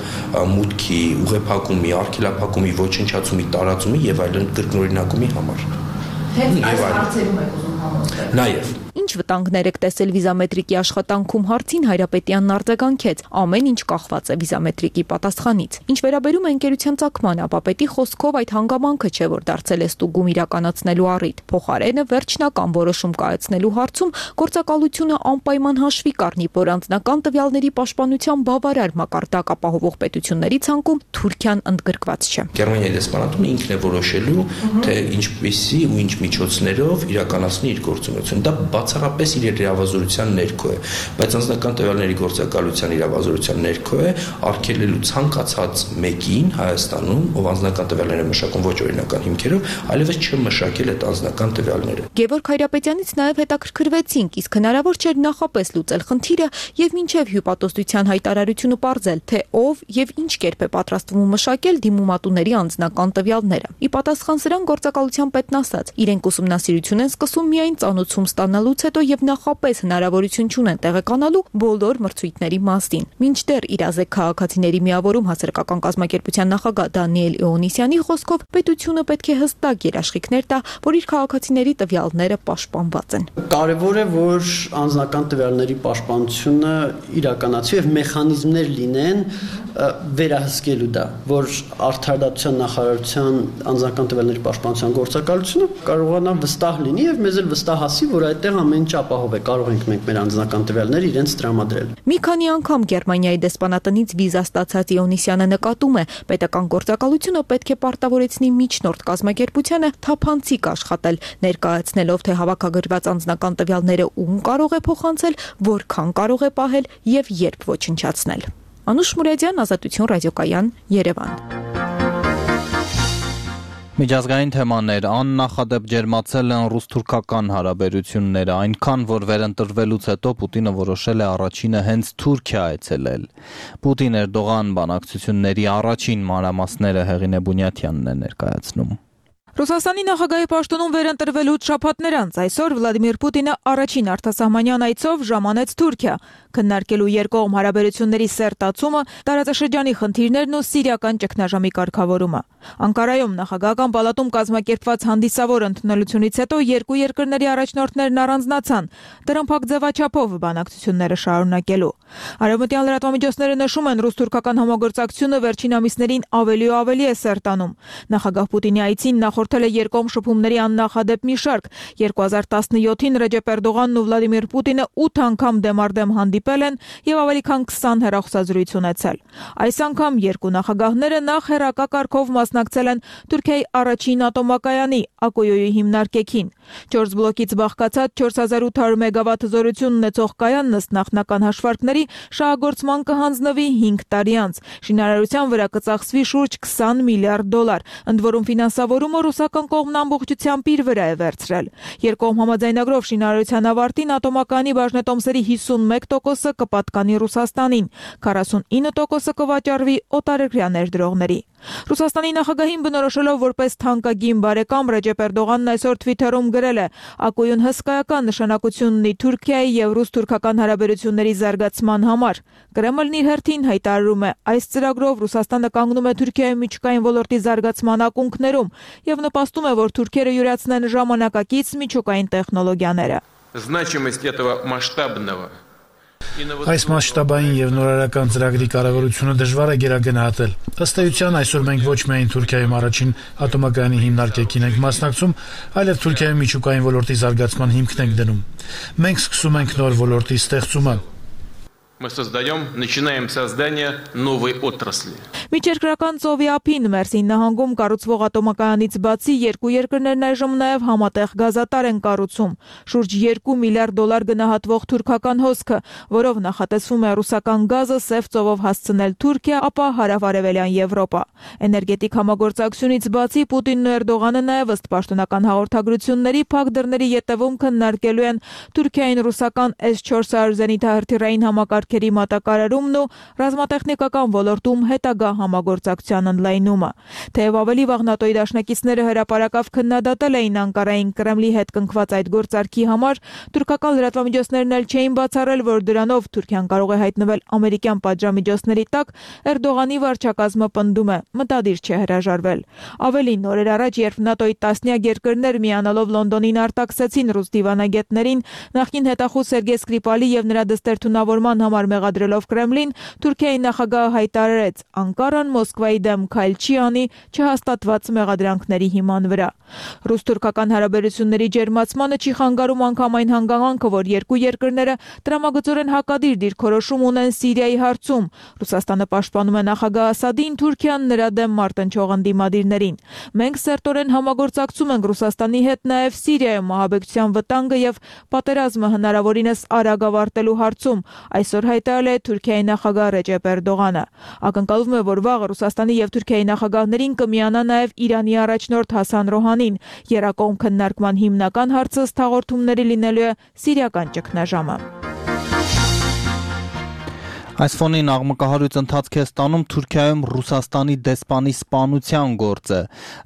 մուտքի, ուղեփակումի, արգելափակումի, ոչնչացումի, տարածումի եւ այլն կրկնօրինակումի համար։ Հենց այս հարցերում եք ուզում համոզվել։ Նաեւ Ինչ վտանգներ եք տեսել վիզամետրիկի աշխատանքում հարցին Հայրապետյանն արձագանքեց. ամեն ինչ կախված է վիզամետրիկի պատասխանից։ Ինչ վերաբերում է ընկերության ծագմանը, ապա պետի խոսքով այդ հանգամանքը չէ, որ դարձել է ստուգում իրականացնելու առիթ։ Փոխարենը վերջնական որոշում կայացնելու հարցում գործակալությունը անպայման հաշվի կառնի, որ անձնական տվյալների պաշտպանության բավարար մակարդակ ապահովող պետությունների ցանկում Թուրքիան ընդգրկված չէ։ Գերմանիայի դեսպանատունը ինքն է որոշելու, թե ինչպիսի ու ինչ միջոցներով իրականացնի իր գործունեությունը։ Դա բացառապես իր իրավազորության ներքո է, բայց անձնական տվյալների գործակալության իրավազորության ներքո է արգելելու ցանկացած մեկին Հայաստանում, ով անձնական տվյալներ է մշակում ոչ օրինական հիմքերով, այլևս չմշակել այդ անձնական տվյալները։ Գևորգ Հայրապետյանից նաև հետաքրքրվեցինք, իսկ հնարավոր չէր նախապես լուծել խնդիրը եւ մինչեւ հյուպատոսության հայտարարությունը պարզել, թե ով եւ ինչ կերպ է պատրաստվում մշակել դիմումատուների անձնական տվյալները։ Ի պատասխան սրան գործակալության պետն ասաց, իրենք ուսումնասիրություն են սկսում միայն ծանոթում ստանալուց հետո եւ նախապես հնարավորություն չունեն տեղեկանալու բոլոր մրցույթների մասին։ Մինչդեռ իրազեկ քաղաքացիների միավորում հասարակական կազմակերպության նախագահ Դանիել Իոնիսյանի խոսքով պետությունը պետք է հստակ երաշխիքներ տա, որ իր քաղաքացիների տվյալները պաշտպանված են։ Կարևոր է, որ անձնական տվյալների պաշտպանությունը իրականացվի եւ մեխանիզմներ լինեն վերահսկելու դա, որ արդարադատության նախարարության անձնական տվյալների պաշտպանության գործակալությունը կարողանա վստահ լինի եւ մեզ էլ վստահ ասի, որ այդտեղ ամեն ինչ ապահով է, կարող ենք մենք մեր անձնական տվյալները իրենց տրամադրել։ Մի քանի անգամ Գերմանիայի դեսպանատնից վիզա ստացած Իոնիսյանը նկատում է, պետական գործակալությունը պետք է պարտավորեցնի միջնորդ կազմակերպությանը թափանցիկ աշխատել, ներկայացնելով, թե հավաքագրված անձնական տվյալները ում կարող է փոխանցել, որքան կարող է պահել եւ երբ ոչնչացնել։ Անուշ Մուրադյան, Ազատություն ռադիոկայան, Երևան։ Միջազգային թեմաներ աննախադեպ ջերմացել են ռուս-թուրքական հարաբերությունները, այնքան, որ վերընտրվելուց հետո Պուտինը որոշել է առաջինը հենց Թուրքիա այցելել։ Պուտին-Էրդողան բանակցությունների առաջին մանրամասները Հեղինե Բունյաթյանն է ներկայացնում։ Ռուսաստանի նախագահի պաշտոնում վերընտրվելուց շաբաթներ անց այսօր Վլադիմիր Պուտինը առաջին արտասահմանյան այցով ժամանեց Թուրքիա, քննարկելու երկկողմ հարաբերությունների սերտացումը, տարածաշրջանի խնդիրներն ու սիրիական ճգնաժամի կարգավորումը։ Անկարայում նախագահական պալատում կազմակերպված հանդիսավոր ընդունելությունից հետո երկու երկրների առաջնորդներն առանձնացան, տրամփակ ձևաչափով բանակցությունները շարունակելու։ Արևմտյան լրատվամիջոցները նշում են, ռուս-թուրքական համագործակցությունը վերջին ամիսներին ավելի ու ավելի է սերտանում։ Նախագահ Պուտինի այցին նախորդել է երկկողմ շփումների աննախադեպ մի շարք։ երկու հազար տասնյոթին Ռեջեփ Էրդողանն ու Վլադիմիր Պուտինը ութ անգամ դեմարդեմ հանդիպել են եւ ավելի քան քսան հեռախոսազրույց ունեցել։ Այս անգամ երկու նախագահները նախ հեռակա կարգով մասնակցել են Թուրքիայի առաջին ատոմակայանի Ակոյոյի հիմնարկեքին։ Չորս բլոկից բաղկացած չորս հազար ութ հարյուր մեգավատ հզորություն ունեցող կայանն ըստ նախնական հաշվարկների շահագործման կհանձնվի հինգ տարի անց։ Շինարարության վրա կծախսվի շուրջ քսան միլիարդ դոլար, ընդ որում ֆինանսավորումը ռուսական կողմն ամբողջությամբ իր վրա է վերցրել։ Երկկողմ համաձայնագրով շինարարության ավարտին ատոմակայանի բաժնետոմսերի հիսունմեկ տոկոսը կպատկանի Ռուսաստանին, քառասունինը տոկոսը կվաճառվի օտարերկրյա ներդրողների։ Ռուսաստանի նախագահին բնորոշելով որպես թանկագին բարեկամ Ռեջեփ Էրդողանն այսօր Թվիթերում գրել է. «Ակոյուն հսկայական նշանակություն ունի Թուրքիայի եւ ռուս-թուրքական հարաբերությունների զարգացման համար»։ Կրեմլն իր հերթին հայտարարում է, այս ծրագրով Ռուսաստանը կանգնում է Թուրքիայի միջուկային ոլորտի զարգացման ակունքներում եւ նպաստում է, որ թուրքերը յուրացնեն ժամանակակից միջուկային տեխնոլոգիաները։ Значимость этого масштабного Այս մասշտաբային եւ նորարարական ծրագրի կարևորությունը դժվար է գերագնահատել։ Ըստ էության այսօր մենք ոչ միայն Թուրքիայում առաջին ատոմակայանի հիմնարկեքին ենք մասնակցում, այլև Թուրքիայի միջուկային ոլորտի զարգացման հիմքն ենք դնում։ Մենք սկսում ենք նոր ոլորտի ստեղծումը։ Мы создаем, начинаем создание новой отрасли. Միջերկրական ծովի ափին Մերսին նահանգում կառուցվող ատոմակայանից բացի երկու երկրներն այժմ նաև համատեղ գազատար են կառուցում։ Շուրջ երկու միլիարդ դոլար գնահատվող թուրքական հոսքը, որով նախատեսվում է ռուսական գազը Սև ծովով հասցնել Թուրքիա, ապա հարավարևելյան Եվրոպա։ Էներգետիկ համագործակցությունից բացի Պուտինն ու Էրդողանը նաև ըստ պաշտոնական հաղորդագրությունների փակ դռների ետևում քննարկելու են Թուրքիային ռուսական էս չորս հարյուր զենիթահրթիռային համակարգերի մատակարարումն ու ռազմատեխնիկական ոլորտում հետագա համագործակցության ընդլայնումը։ Թեև ավելի վաղ ՆԱՏՕ-ի դաշնակիցները հրապարակավ քննադատել էին Անկարային Կրեմլի հետ կնքված այդ գործարքի համար, թուրքական լրատվամիջոցներն էլ չէին բացառել, որ դրանով Թուրքիան կարող է հայտնվել ամերիկյան պատժամիջոցների տակ, Էրդողանի վարչակազմը պնդում է մտադիր չէ հրաժարվել։ Ավելին, օրեր առաջ, երբ ՆԱՏՕ-ի տասնյակ երկրներ միանալով Լոնդոնին արտաքսեցին ռուս դիվանագետներին, նախկին հետախուզ Սերգեյ Սկրիպալի եւ նրա դստեր թունավորման համար մեղադրելով Կրեմլին, Թուրքիայի նախագահը հայտարարեց՝ Անկարան Մոսկվայի դեմ քայլ չի անի չհաստատված մեղադրանքների հիման վրա։ Ռուս-թուրքական հարաբերությունների ջերմացմանը չի խանգարում անգամ այն հանգամանքը, որ երկու երկրները տրամագծորեն հակադիր դիրքորոշում ունեն Սիրիայի հարցում։ Ռուսաստանը պաշտպանում է նախագահ Ասադին, Թուրքիան նրա դեմ մարտնչող ընդդիմադիրներին։ Մենք սերտորեն համագործակցում ենք Ռուսաստանի հետ նաև Սիրիայում ահաբեկչության վտանգը եւ պատերազմը հնարավորինս արագ ավարտելու հարցում, այսօր հայտարարել է Թուրքիայի նախագահ Ռեջեփ Էրդողանը։ Ակնկալվում է, որ վաղը Ռուսաստանի եւ Թուրքիայի նախագահներին կմիանա նաև Իրանի առաջնորդ Հասան Ռոհանին։ Երակողմ քննարկման հիմնական հարցը ըստ հաղորդումների լինելու է սիրիական ճգնաժամը։ Այս ֆոնին աղմկահարույց ընթացք է ստանում Թուրքիայում Ռուսաստանի դեսպանի սպանության գործը։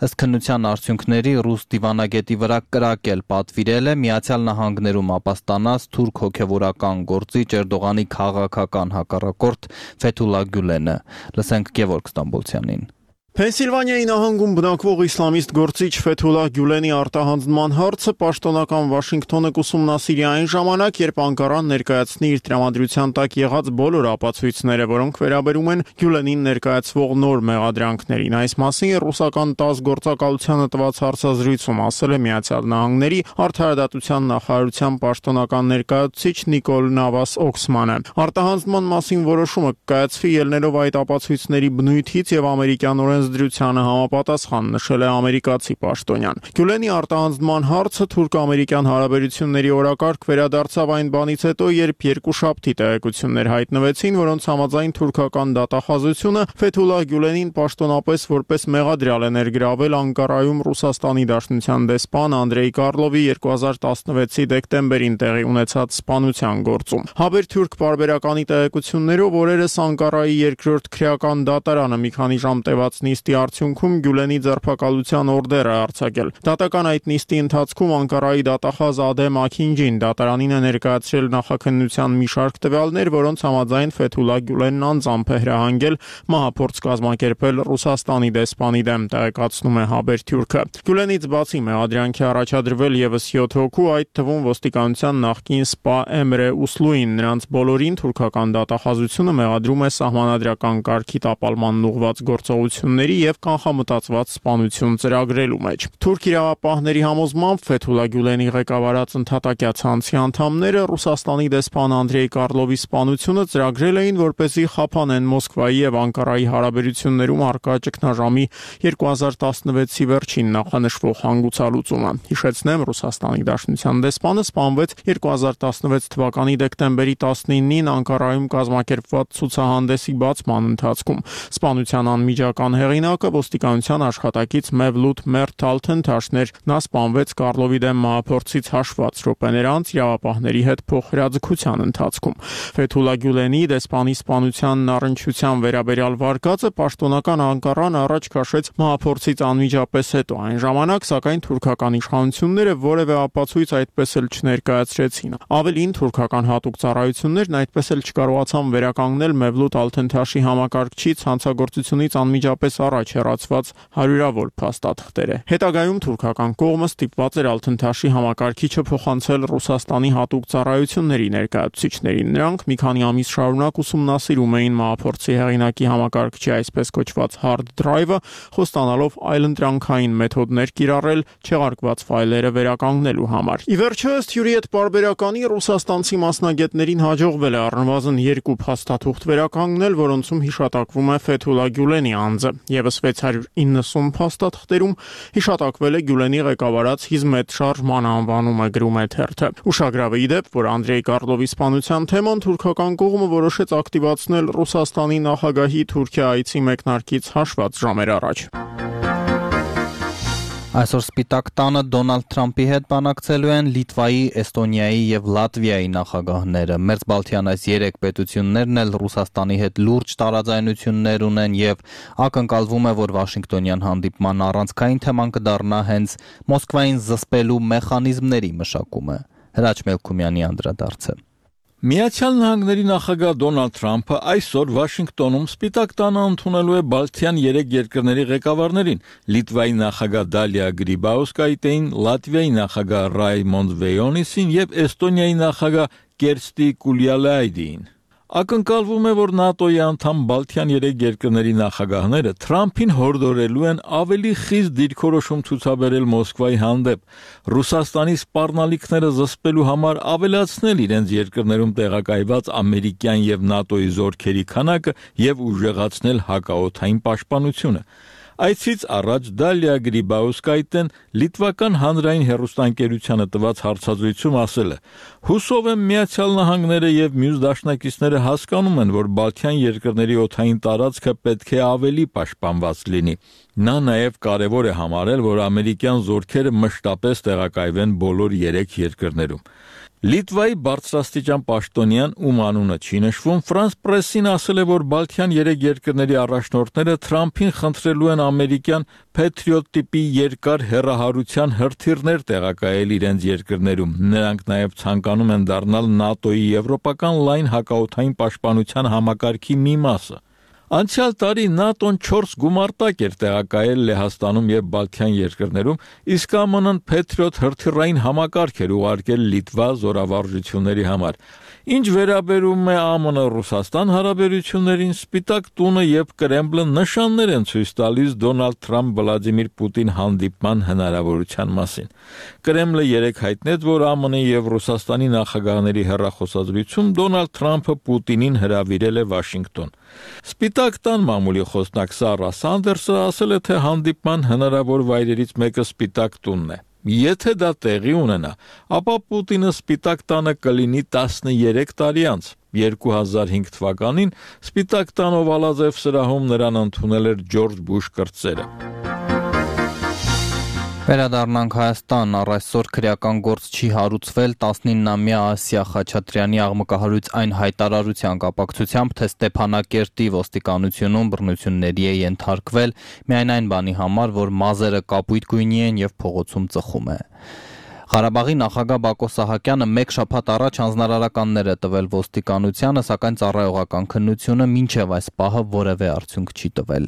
Ըստ քննության արդյունքների ռուս դիվանագետի վրա կրակել պատվիրել է Միացյալ Նահանգներում ապաստանած թուրք հոգևորական գործիչ Էրդողանի քաղաքական հակառակորդ Ֆեթուլա Գյուլենը։ Լսենք Գևորգ Ստամբոլցյանին։ Փենսիլվանիայի նահանգում բնակվող իսլամիստ գործիչ Ֆեթուլա Գյուլենի արտահանձնման հարցը պաշտոնական Վաշինգտոնը կուսումնասիրի այն ժամանակ, երբ Անկարան ներկայացնի իր տրամադրության տակ եղած բոլոր ապացույցները, որոնք վերաբերում են Գյուլենին ներկայացվող նոր մեղադրանքներին։ Այս մասին ռուսական ՏԱՍՍ գործակալությանը տված հարցազրույցում ասել է Միացյալ Նահանգների արդարադատության նախարարության պաշտոնական ներկայացուցիչ Նիկոլ Նավաս Օքսմանը։ Արտահանձնման մասին որոշումը կայացվի ելնելով այդ ապացույցների բնույթից եւ ամերիկյանորեն դրությանը համապատասխան, նշել է ամերիկացի պաշտոնյան։ Գյուլենի արտահանձնման հարցը թուրք-ամերիկյան հարաբերությունների օրակարգ վերադարձավ այն բանից հետո, երբ երկուշաբթի տեղեկություններ հայտնվեցին, որոնց համաձայն թուրքական դատախազությունը Ֆեթուլա Գյուլենին պաշտոնապես որպես մեղադրյալ է ներգրավել Անկարայում Ռուսաստանի Դաշնության դեսպան Անդրեյ Կարլովի երկու հազար տասնվեցի դեկտեմբերին տեղի ունեցած սպանության գործում։ Հաբերթուրք պարբերականի տեղեկություններով օրերս Անկարայի երկրորդ քրեական դատարանը մի քանի ժամ տևած նիստի արդյունքում Գյուլենի ձերբակալության օրդեր է արձակել։ Դատական այդ նիստի ընթացքում Անկարայի դատախազ Ադեմ Աքինջին դատարանին է ներկայացրել նախաքննության մի շարք տվյալներ, որոնց համաձայն Ֆեթուլա Գյուլենն անձամբ է հրահանգել մահափորձ կազմակերպել Ռուսաստանի դեսպանի դեմ, տեղեկացնում է Հաբերթյուրքը։ Գյուլենից բացի մեղադրանքի առաջադրվել եւս յոթ հոգու, այդ թվում ոստիկանության նախկին սպա Էմրե Ուսլուին։ Նրանց բոլորին թուրքական դատախազությունը մեղադրում է սահմանադրական կարգի տապալման ուղղված գործողությունների եւ կանխամտածված սպանություն ծրագրելու մեջ։ Թուրք իրավապահների համոզմամբ Ֆեթուլա Գյուլենի ղեկավարած ընդհատակյա ցանցի անդամները Ռուսաստանի դեսպան Անդրեյ Կարլովի սպանությունը ծրագրել էին, որպեսզի խափանեն Մոսկվայի եւ Անկարայի հարաբերություններում առկա ճգնաժամի երկու հազար տասնվեցի վերջին նախանշվող հանգուցալուծումը։ Հիշեցնեմ, Ռուսաստանի Դաշնության դեսպանը սպանվեց երկու հազար տասնվեց թվականի դեկտեմբերի տասնինին Անկարայում կազմակերպված ցուցահանդեսի բացման ընթացքում։ Սպանության անմիջական հեղինակը ոստիկանության աշխատակից Մևլութ Մերթալթենթաշն էր։ Նա սպանվեց Կարլովի դեմ մահափորձից հաշված րոպեներ անց իրավապահների հետ փոխհրաձգության ընթացքում։ Ֆեթուլա Գյուլենի դեսպանի սպանության առնչության վերաբերյալ վարկածը պաշտոնական Անկարան առաջ քաշեց մահափորձից անմիջապես հետո։ Այն ժամանակ, սակայն թուրքական իշխանությունները որևէ ապացույց այդպես էլ չներկայացրեցին։ Ավելին, թուրքական հատուկ ծառայություններն այդպես էլ չկարողացան վերականգնել Մևլութ Ալթենթաշի համակարգչից հանցագործությունից անմիջապես առաջ հեռացված հարյուրավոր փաստաթղթերը։ Հետագայում թուրքական կողմը ստիպված էր Ալթընթաշի համակարգիչը փոխանցել Ռուսաստանի հատուկ ծառայությունների ներկայացուցիչներին։ Նրանք մի քանի ամիս շարունակ ուսումնասիրում էին մահափորձի հեղինակի համակարգչի այսպես կոչված hard drive-ը, խոստանալով այլընտրանքային մեթոդներ կիրառել չեղարկված ֆայլերը վերականգնելու համար։ Ի վերջո, ըստ հյուրի հետ պարբերականի, ռուսաստանցի մասնագետներին հաջողվել է առնվազն երկու փաստաթուղթ վերականգնել, որոնցում հիշատակվում է Ֆեթուլա Գյուլենի անձը։ Եվս վեց հարյուր իննսուն փաստաթղթերում հիշատակվել է Գյուլենի ղեկավարած Հիզմետ շարժման անվանումը, գրում է թերթը։ Ուշագրավ է ի դեպ, որ Անդրեյ Կարլովի սպանության թեման թուրքական կողմը որոշեց ակտիվացնել Ռուսաստանի նախագահի Թուրքիա այցի մեկնարկից հաշված ժամեր առաջ։ Այսօր Սպիտակ տանը Դոնալդ Թրամփի հետ բանակցելու են Լիտվայի, Էստոնիայի եւ Լատվիայի նախագահները։ Մերձբալթյան այս երեք պետություններն էլ Ռուսաստանի հետ լուրջ տարաձայնություններ ունեն եւ ակնկալվում է, որ Վաշինգտոնյան հանդիպման առանցքային թեման կդառնա հենց Մոսկվային զսպելու մեխանիզմների մշակումը։ Հրաչ Մելքումյանի անդրադարձը։ Միացյալ Նահանգների նախագահ Դոնալդ Թրամփը այսօր Վաշինգտոնում Սպիտակ տանը ընդունելու է Բալթյան երեք երկրների ղեկավարներին՝ Լիտվայի նախագահ Դալիա Գրիբաուսկայտեին, Լատվիայի նախագահ Ռայմոնդ Վեյոնիսին եւ Էստոնիայի նախագահ Կերստի Կուլյալայդին։ Ակնկալվում է, որ ՆԱՏՕ-ի անդամ Բալթյան երեք երկրների նախագահները Թրամփին հորդորելու են ավելի խիստ դիրքորոշում ցուցաբերել Մոսկվայի հանդեպ, Ռուսաստանի սպառնալիքները զսպելու համար ավելացնել իրենց երկրներում տեղակայված ամերիկյան եւ ՆԱՏՕ-ի զորքերի քանակը եւ ուժեղացնել հակաօդային պաշտպանությունը։ Այցից առաջ Դալիա Գրիբաուսկայտեն լիտվական հանրային հեռուստաընկերությանը տված հարցազրույցում ասել է. «Հուսով եմ Միացյալ Նահանգները եւ մյուս դաշնակիցները հասկանում են, որ Բալթյան երկրների օդային տարածքը պետք է ավելի պաշտպանված լինի»։ Նա նաեւ կարեւոր է համարել, որ ամերիկյան զորքերը մշտապես տեղակայվեն բոլոր երեք երկրներում։ Լիտվայի բարձրաստիճան պաշտոնյան, ում անունը չի նշվում, Ֆրանս պրեսին ասել է, որ Բալթյան երեք երկրների առաջնորդները Թրամփին խնդրելու են ամերիկյան Patriot տիպի երկար հեռահարության հրթիռներ տեղակայել իրենց երկրներում։ Նրանք նաև ցանկանում են դառնալ ՆԱՏՕ-ի եվրոպական լայն հակաօդային պաշտպանության համակարգի մի մասը։ Անցյալ տարի ՆԱՏՕ-ն չորս գումարտակ էր տեղակայել Լեհաստանում եւ Բալթյան երկրներում, իսկ ԱՄՆ-ն Patriot հրթիռային համակարգ էր ուղարկել Լիտվա զորավարժությունների համար։ Ինչ վերաբերում է ԱՄՆ-Ռուսաստան հարաբերություններին, Սպիտակ տունը եւ Կրեմլը նշաններ են ցույց տալիս Դոնալդ Թրամփ-Վլադիմիր Պուտին հանդիպման հնարավորության մասին։ Կրեմլը երեկ հայտնեց, որ ԱՄՆ-ի եւ Ռուսաստանի նախագահների հեռախոսազրույցում Դոնալդ Թրամփը Պուտինին հրավիրել է Վաշինգտոն։ Սպիտակ տան մամուլի խոսնակ Սարա Սանդերսը ասել է, թե հանդիպման հնարավոր վայրերից մեկը Սպիտակ տունն է։ Եթե դա տեղի ունենա, ապա Պուտինը Սպիտակ տանը կլինի տասներեք տարի անց։ երկու հազար հինգ թվականին Սպիտակ տան Օվալաձև սրահում նրան ընդունել էր Ջորջ Բուշ կրտսերը։ Վերադառնանք Հայաստան, առ այսօր քրեական գործ չի հարուցվել տասնիննամյա Ասիա Խաչատրյանի աղմկահարույց այն հայտարարության կապակցությամբ, թե Ստեփանակերտի ոստիկանությունում բռնությունների է ենթարկվել միայն այն բանի համար, որ մազերը կապույտ գույնի են եւ փողոցում ծխում է։ Ղարաբաղի նախագահ Բակո Սահակյանը մեկ շաբաթ առաջ հանձնարարականներ է տվել ոստիկանությանը, սակայն ծառայողական քննությունը մինչև այս պահը որևէ արդյունք չի տվել։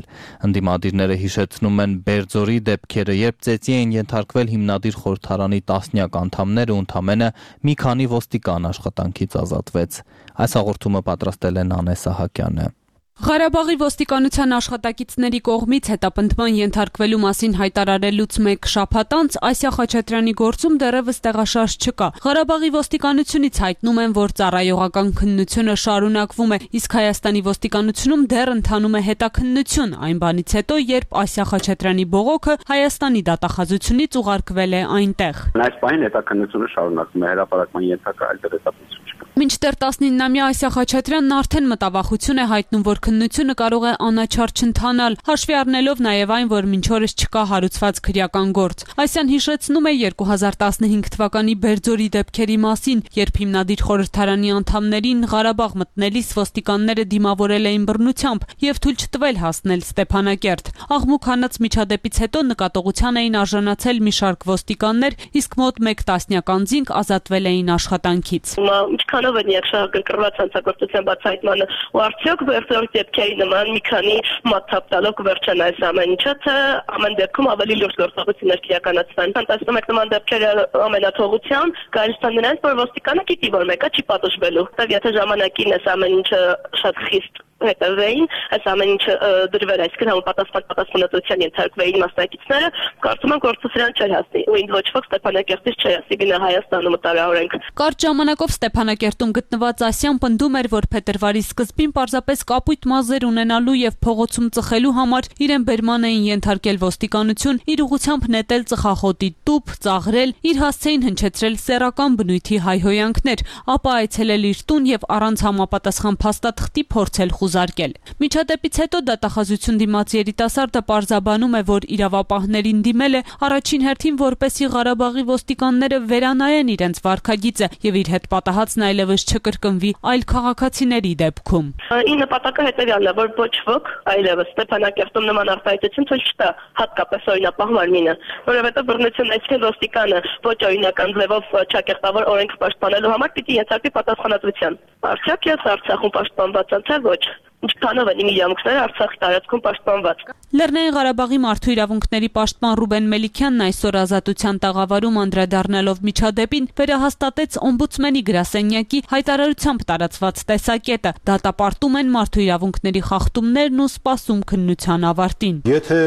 Ընդդիմադիրները հիշեցնում են Բերձորի դեպքերը, երբ ծեծի էին ենթարկվել հիմնադիր խորհրդարանի տասնյակ անդամներ ու ընդամենը մի քանի ոստիկան աշխատանքից ազատվեց։ Այս հաղորդումը պատրաստել է Նանե Սահակյանը։ Ղարաբաղի ոստիկանության աշխատակիցների կողմից հետապնդման ենթարկվելու մասին հայտարարելուց մեկ շաբաթ անց Ասիա Խաչատրյանի գործում դեռևս տեղաշարժ չկա։ Ղարաբաղի ոստիկանությունից հայտնում են, որ ծառայողական քննությունը շարունակվում է, իսկ Հայաստանի ոստիկանությունում դեռ ընթանում է հետաքննություն, այն բանից հետո, երբ Ասիա Խաչատրյանի բողոքը Հայաստանի դատախազությունից ուղարկվել է այնտեղ։ Այս պահին հետաքննությունը շարունակվում է, հրապարակման ենթակա այլ դերատապություն չկա։ Մինչդեռ տասնիննամյա Ասիա Խաչատրյանն արդեն մտավախություն է հայտնում, որ քննությունը կարող է անաչառ չընթանալ, հաշվի առնելով նաև այն, որ մինչ օրս չկա հարուցված քրեական գործ։ Ասիան հիշեցնում է երկու հազար տասնհինգ թվականի Բերձորի դեպքերի մասին, երբ հիմնադիր խորհրդարանի անդամներին Ղարաբաղ մտնելիս ոստիկանները դիմավորել էին բռնությամբ եւ թույլ չտվել հասնել Ստեփանակերտ։ Աղմուկ հանած միջադեպից հետո նկատողության էին արժանացել մի շարք ոստիկաններ, իսկ մոտ մեկ տասնյակ անձինք ազատվել էին աշխատանքից։ Ինչքանով կապելով են երկշահագրգռված հանցագործության բացահայտմանը ու արդյոք վերջերս դեպքերի նման մի քանի մաթափ տալով կվերջան այս ամեն ինչը, թե ամեն դեպքում ավելի լուրջ գործողություններ կիրականացվեն։ Ֆանտաստիկ նման դեպքերը ամենաթողությամբ կարիստան նրանց, որ ոստիկանը գիտի, որ մեկը չի պատժվելու։ Եթե ժամանակին այս ամեն ինչը շատ խիստ հետևեին, այս ամեն ինչը դրվեր, այսինքն համապատասխան պատասխանատվության ենթարկվեին մասնակիցները, կարծում եմ գործը սրան չէր հասնի, ու ինձ ոչ ոք Ստեփանակերտից չէր ասի գնա Հայաստանում տարօրենք։ Կարճ ժամանակով Ստեփանակերտում գտնված Ասիան պնդում էր, որ փետրվարի սկզբին պարզապես կապույտ մազեր ունենալու եւ փողոցում ծխելու համար իրեն բերման էին ենթարկել ոստիկանություն, իր ուղղությամբ նետել ծխախոտի տուփ, ծաղրել, իր հասցեին հնչեցրել սեռական բնույթի հայհոյանքներ, ապա այցելել իր տուն եւ առանց համապատասխան փաստաթղթի փորձել խուզարկել։ Միջադեպից հետո դատախազություն դիմաց երիտասարդը պարզաբանում է, որ իրավապահներին դիմել է առաջին հերթին, որպեսզի Ղարաբաղի ոստիկանները վերանայեն իրենց վարքագիծը եւ իր հետ պատահածն այլևս չկրկնվի այլ քաղաքացիների դեպքում։ Ի նպատակը հետեւյալն է, որ ոչ ոք այլևս Ստեփանակերտում նման արտահայտություն ցույց չտա, հատկապես օրինապահ մարմինը, որովհետեւ բռնությունն այսքան ոստիկանը ոչ օրինական ձևով ճակերտավոր օրենք պաշտպանելու համար պիտի ենթարկվի պատասխանատվության։ Արդյոք ես Արցախում պաշտպանված եմ, թե ոչ։ Ինչքանով են իմ իրավունքները Արցախի տարածքում պաշտպանված։ Լեռնային Ղարաբաղի մարդու իրավունքների պաշտպան Ռուբեն Մելիքյանն այսօր Ազատության տաղավարում անդրադառնալով միջադեպին վերահաստատեց օմբուդսմենի գրասենյակի հայտարարությամբ տարածված տեսակետը։ Դատապարտում են մարդու իրավունքների խախտումներն ու սպասում քննության ավարտին։ Եթե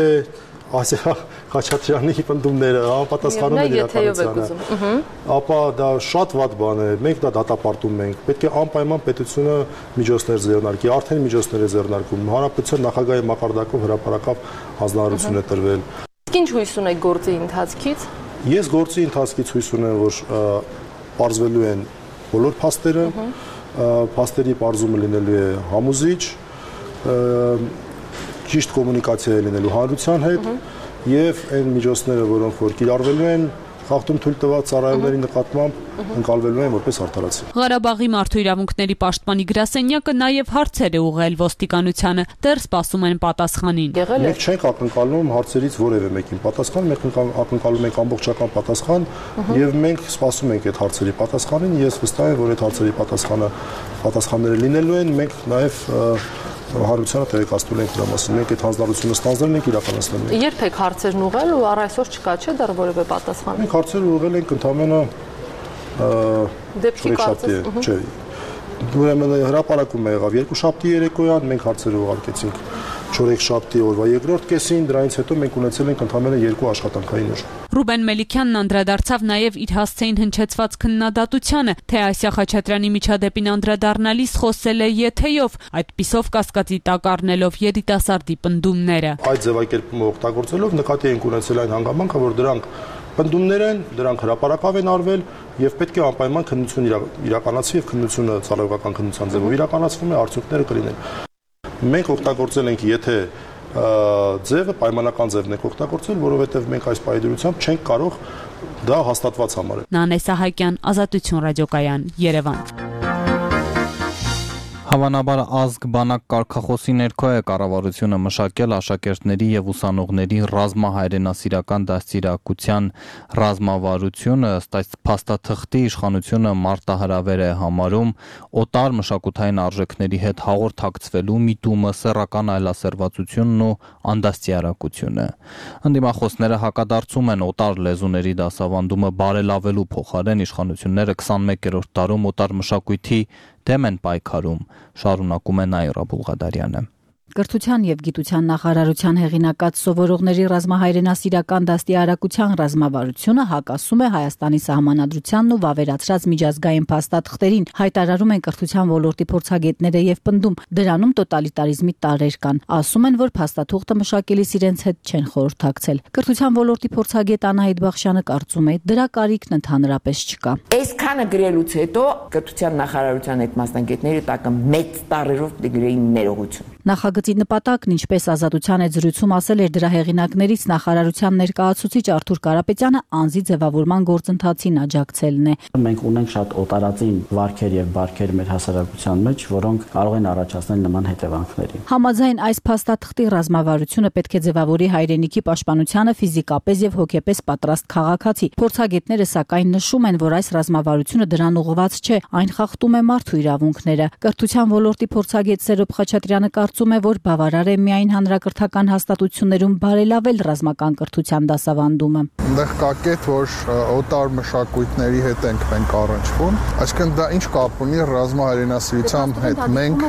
Ասիա Խաչատրյանի պնդումները համապատասխանում են իրականությանը, ապա դա շատ վատ բան է, մենք դա դատապարտում ենք, պետք է անպայման պետությունը միջոցներ ձեռնարկի, արդեն միջոցներ է ձեռնարկում, հանրապետության նախագահի մակարդակով հրապարակավ հանձնարարություն է տրվել։ Ինչ հույս ունեք գործի ընթացքից։ Ես գործի ընթացքից հույս ունեմ, որ պարզվելու են բոլոր փաստերը, փաստերի պարզումը լինելու է համոզիչ, ճիշտ կոմունիկացիա է լինելու հանրության հետ եւ այն միջոցները, որոնք որ կիրառվելու են խախտում թույլ տված ծառայողների նկատմամբ ընկալվելու են որպես արդարացի։ Ղարաբաղի մարդու իրավունքների պաշտպանի գրասենյակը նաեւ հարցեր է ուղղել ոստիկանությանը, դեռ սպասում են պատասխանին։ Մենք չենք ակնկալում հարցերից որևէ մեկին պատասխան, մենք ակնկալում ենք ամբողջական պատասխան եւ մենք սպասում ենք այդ հարցերի պատասխանին։ Ես վստահ եմ, որ այդ հարցերի պատասխանը պատասխանները լինելու են, մենք նաեւ հանրությանը տեղեկացնում ենք դրա մասին։ Մենք այդ հանձնարարությունը ստանձնել ենք, իրականացնել ենք։ Երբ եք հարցերն ուղղել ու առ այսօր չկա չէ դեռ որևէ պատասխան։ Մենք հարցերը ուղղել ենք ընդամենը դեպքի կարծես։ Չէ։ Ուրեմն հրապարակում եղավ երկուշաբթի երեկոյան, մենք հարցերը ուղարկեցինք չորեքշաբթի օրվա երկրորդ կեսին, դրանից հետո մենք ունեցել ենք ընդամենը երկու աշխատանքային օր։ Ռուբեն Մելիքյանն անդրադարձավ նաև իր հասցեին հնչեցված քննադատությանը, թե Ասիա Խաչատրյանի միջադեպին անդրադառնալիս խոսել է եթեյով, այդպիսով կասկածի տակ առնելով երիտասարդի պնդումները։ Այդ ձևակերպումը օգտագործելով նկատի ենք ունեցել այն հանգամանքը, որ դրանք պնդումներ են, դրանք հրապարակավ են արվել եւ պետք է անպայման քննություն իրականացվի եւ քննությունը ծառայողական քննության ձևով իրականացվում է, արդյունքները կլինեն։ Մենք օգտագործել ենք եթե ձևը պայմանական ձևն է օգտագործել, որովհետեւ մենք այս պայմանությամբ չենք կարող դա հաստատված համարել։ Նանե Սահակյան, Ազատություն ռադիոկայան, Երևան։ Հավանաբար ազգ բանակ կարգախոսի ներքո է կառավարությունը մշակել աշակերտների եւ ուսանողների ռազմահայրենասիրական դաստիարակության ռազմավարությունը, ըստ այս փաստաթղթի իշխանությունը մարտահրավեր է համարում օտար մշակութային արժեքների հետ հաղորդակցվելու միտումը, սեռական այլասերվածությունն ու անդաստիարակությունը։ Ընդդիմախոսները հակադարձում են օտար լեզուների դասավանդումը բարելավելու փոխարեն իշխանությունները քսանմեկերորդ դարում օտար մշակույթի դեմ են պայքարում, շարունակում է Նաիրա Բուլղադարյանը։ Կրթության եւ գիտության նախարարության հեղինակած սովորողների ռազմահայրենասիրական դաստիարակության ռազմավարությունը հակասում է Հայաստանի սահմանադրությանն ու վավերացրած միջազգային փաստաթղթերին, հայտարարում են կրթության ոլորտի փորձագետները եւ պնդում, դրանում տոտալիտարիզմի տարրեր կան, ասում են, որ փաստաթուղթը մշակելիս իրենց հետ չեն խորհրդակցել։ Կրթության ոլորտի փորձագետ Անահիտ Բախշյանը կարծում է, դրա կարիքն ընդհանրապես չկա։ Այսքանը գրելուց հետո կրթության նախարարության այդ մասնագետները տակը մեծ տարրերով դգրեին ներողություն։ Նախագծի նպատակն, ինչպես Ազատության այդ զրույցում ասել էր դրա հեղինակներից նախարարության ներկայացուցիչ Արթուր Կարապետյանը, անձի ձևավորման գործընթացին աջակցելն է։ Մենք ունենք շատ օտարածին վարքեր եւ բարքեր մեր հասարակության մեջ, որոնք կարող են առաջացնել նման հետևանքների։ Համաձայն այս փաստաթղթի ռազմավարությունը պետք է ձևավորի հայրենիքի պաշտպանությանը ֆիզիկապես եւ հոգեպես պատրաստ քաղաքացի։ Փորձագետները սակայն նշում են, որ այս ռազմավարությունը դրան ուղղված չէ, այն խախտում է մարդու իրավունքները։ Կրթության ոլորտի փորձագետ Սերոբ Խաչատրյանը կարծում է, որ բավարար է միայն հանրակրթական հաստատություններում բարելավել ռազմական կրթության դասավանդումը։ Այնտեղ կա կետ, որ օտար մշակույթների հետ ենք մենք առնչվում, այսինքն դա ինչ կապ ունի ռազմահայրենասիրության հետ։ Մենք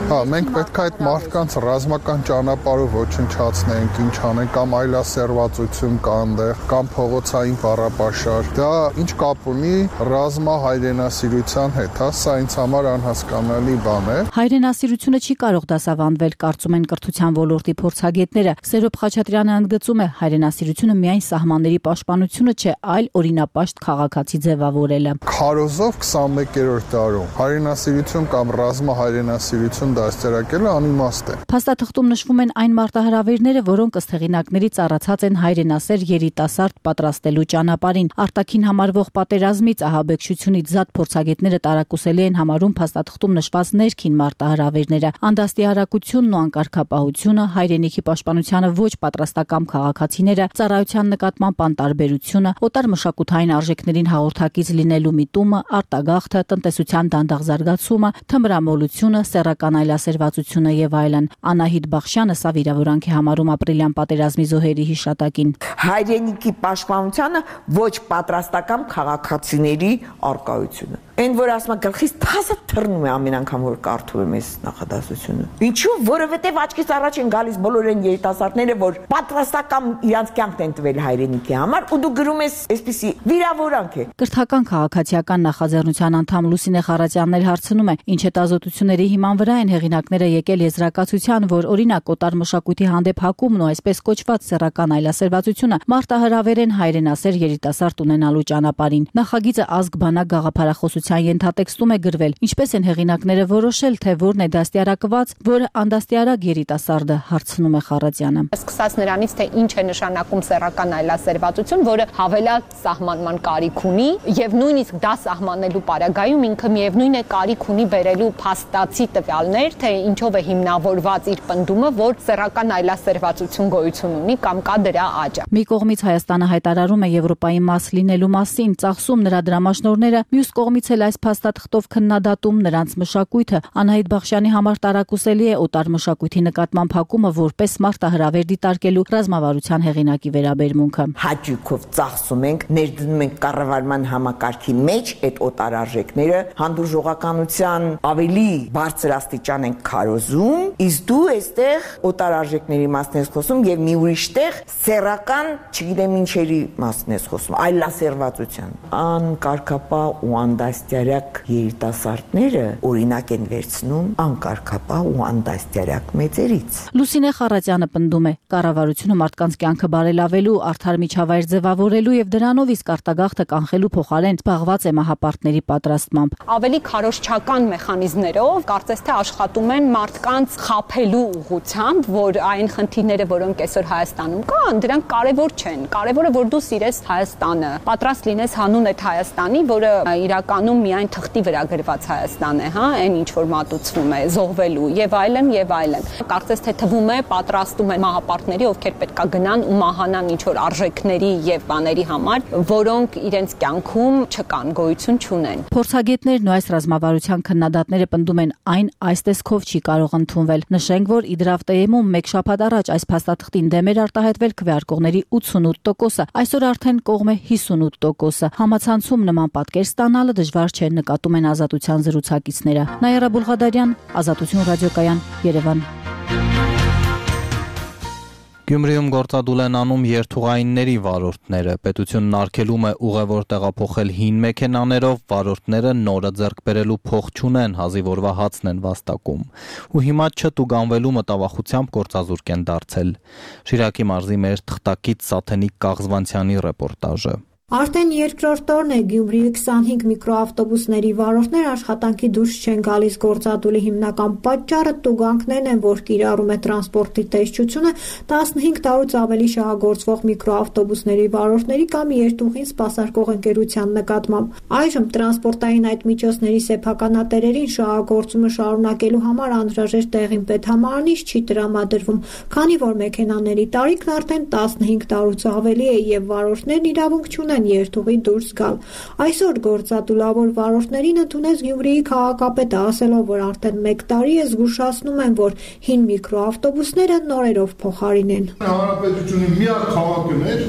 հա, մենք պետք է այդ մարդկանց ռազմական ճանապարհով ոչնչացնենք, ինչ անենք, կամ այլասերվածություն կա այնտեղ, կամ փողոցային բառապաշար։ Դա ինչ կապ ունի ռազմահայրենասիրության հետ, հա, սա ինձ համար անհասկանալի բան է։ Հայրենասիրությունը չի կարող դասավանդվել, կարծում են կրթության ոլորտի փորձագետները։ Սերոբ Խաչատրյանը ընդգծում է, հայրենասիրությունը միայն սահմանների պաշտպանությունը չէ, այլ օրինապաշտ քաղաքացի ձևավորելը։ Քարոզով քսանմեկերորդ դարում հայրենասիրություն կամ ռազմահայրենասիրություն դաստիարակելը անիմաստ է։ Փաստաթղթում նշվում են այն մարտահրավերները, որոնք ըստ հեղինակներից առացած են հայրենասեր երիտասարդ պատրաստելու ճանապարհին։ Արտաքին համարվող պատերազմից ահաբեկչությունից զատ փորձագետները տարակուսելի են համարում փաստաթղթում նշված ներքին մարտահրավերները, անդաստիարակությունն ու անկարգապահությունը, հայրենիքի պաշտպանությանը ոչ պատրաստական քաղաքացիները, ծառայության նկատմամբ անտարբերությունը, օտար մշակութային արժեքներին հաղորդակից լինելու միտումը, արտագաղթը, տնտեսության դանդաղ զարգացումը, թմրամոլությունը, սեռական այլասերվածությունը եւ այլն։ Անահիտ Բախշյանը սա վիրավորանք է համարում ապրիլյան պատերազմի զոհերի հիշատակին։ Հայրենիքի պաշտպանությանը ոչ պատրաստական քաղաքացիների արկայությունը։ Այն որ ասում է գլխից թազը թռնում է ամեն անգամ որ կարդում եմ այս նախադասությունը։ Ինչու՞, որովհետև աչքից առաջ են գալիս բոլոր այն երիտասարդները, որ պատրաստական իրանց կյանքն են տվել հայրենիքի համար, ու դու գրում ես այսպիսի վիրավորանք է։ Կրթական քաղաքացիական նախաձեռնության անդամ Լուսինե Խարատյանն էլ հարցնում է, ինչ հետազոտությունների հիման վրա են հեղինակները եկել եզրակացության, որ օրինակ օտար մշակույթի հանդեպ հակումն ու այսպես կոչված սեռական այլասերվածությունը մարտահրավեր են հայրենասեր երիտասարդ ունենալու ճանապարհին։ Նախագիծը ազգ բանակ գաղափարախոսության ենթատեքստում է գրվել, ինչպես են հեղինակները որոշել, թե որն է դաստիարակված, որը անդաստիարակ երիտասարդը, հարցնում է Խարատյանը։ Սկսած նրանից, թե ինչ է նշանակում սեռական այլասերվածություն, որը հավելյալ սահմանման կարիք ունի, եւ նույնիսկ դա սահմանելու պարագայում ինքը միևնույն է կարիք ունի բերելու փաստացի տվյալներ, թե ինչով է հիմնավորված իր պնդումը, որ սեռական այլասերվածություն գոյություն ունի կամ կա դրա աճը։ Մի կողմից Հայաստանը հայտարարում է Եվրոպայի մաս լինելու մասին, ծախսում նրա դրամաշնորհները, մյուս կողմից էլ այս փաստաթղթով քննադատում նրանց մշակույթը։ Անահիտ Բախշյանի համար տարակուսելի է օտար մշակույթի նկատմամբ հակումը որպես մարտահրավեր դիտարկելու ռազմավարության հեղինակի վերաբերմունքը։ Հաճույքով ծախսում ենք, ներդնում ենք կառավարման համակարգի մեջ այդ օտար արժեքները, հանդուրժողականության ավելի բարձր աստիճան ենք քարոզում, իսկ դու այստեղ օտար արժեքների մասն ես խոսում եւ մի ուրիշ տեղ սեռական, չգիտեմ ինչերի մասն ես խոսում, այլասերվածության։ Անկարգապահ ու անդաստիարակ երիտասարդները օրինակ են վերցնում անկարգապահ ու անդաստիարակ մեծերից։ Լուսինե Խարատյանը պնդում է, կառավարությունը մարդկանց կյանքը բարելավելու, արդար միջավայր ձևավորելու եւ դրանով իսկ արտագաղթը կանխելու փոխարեն զբաղված է մահապարտների պատրաստմամբ։ Ավելի քարոզչական մեխանիզմներով կարծես թե աշխատում են մարդկանց խաբելու ուղղությամբ, որ այն խնդիրները, որոնք այսօր Հայաստանում կան, դրանք կարևոր չեն։ Կարևորը որ դու սիրես Հայաստանը, պատրաստ լինես հանուն այդ Հայաստանի, որը իրականում միայն թղթի վրա գրված Հայաստան է, հա, այն ինչ որ մատուցվում է, զոհվելու եւ այլն եւ այլն։ Կարծես թե թվում է պատրաստում են մահապարտների, ովքեր պետքա գնան ու մահանան ինչ որ արժեքների եւ բաների համար, որոնք իրենց կյանքում չկան, գոյություն չունեն։ Փորձագետներն ու այս ռազմավարության քննադատները պնդում են, այն այս տեսքով չի կարող ընդունվել։ Նշենք, որ Իդրավտեյում մեկ շաբաթ առաջ այս փաստաթղթին դեմ էր արտահայտվել քվեարկողների ութսունութ տոկոսը, այսօր արդեն կողմ է հիսունութ տոկոսը։ Համացանցում նման պատկեր ստանալը դժվար չէ, նկատում են Ազատության զրուցակիցները։ Նաիրա Բուլղադարյան, Ազատություն ռադիոկայան, Երևան։ Գյումրիում գործադուլ են անում երթուղայինների վարորդները։ Պետությունն արգելում է ուղևոր տեղափոխել հին մեքենաներով, վարորդները նորը ձեռք բերելու փող չունեն, հազիվ օրվա հացն են վաստակում։ Ու հիմա չտուգանվելու մտավախությամբ գործազուրկ են դարձել։ Շիրակի մարզի մեր թղթակից Սաթենիկ Կաղզվանցյանի ռեպորտաժը։ Արդեն երկրորդ օրն է Գյումրիի քսանհինգ միկրոավտոբուսների վարորդներ աշխատանքի դուրս չեն գալիս։ Գործադուլի հիմնական պատճառը տուգանքներն են, որ կիրառում է տրանսպորտի տեսչությունը տասնհինգ տարուց ավելի շահագործվող միկրոավտոբուսների վարորդների կամ երթուղին սպասարկող ընկերության նկատմամբ։ Այժմ տրանսպորտային այդ միջոցների սեփականատերերին շահագործումը շարունակելու համար անհրաժեշտ տեղին պետհամարանից չի տրամադրվում, քանի որ մեքենաների տարիքն արդեն տասնհինգ տարուց ավելի է եւ վարորդներն իրավունք չունեն երթուղի դուրս գալ։ Այսօր գործադուլավոր վարորդներին ընդունեց Գյումրիի քաղաքապետը, ասելով, որ արդեն մեկ տարի է զգուշացնում են, որ հին միկրոավտոբուսները նորերով փոխարինեն։ Հանրապետությունը միակ քաղաքն էր,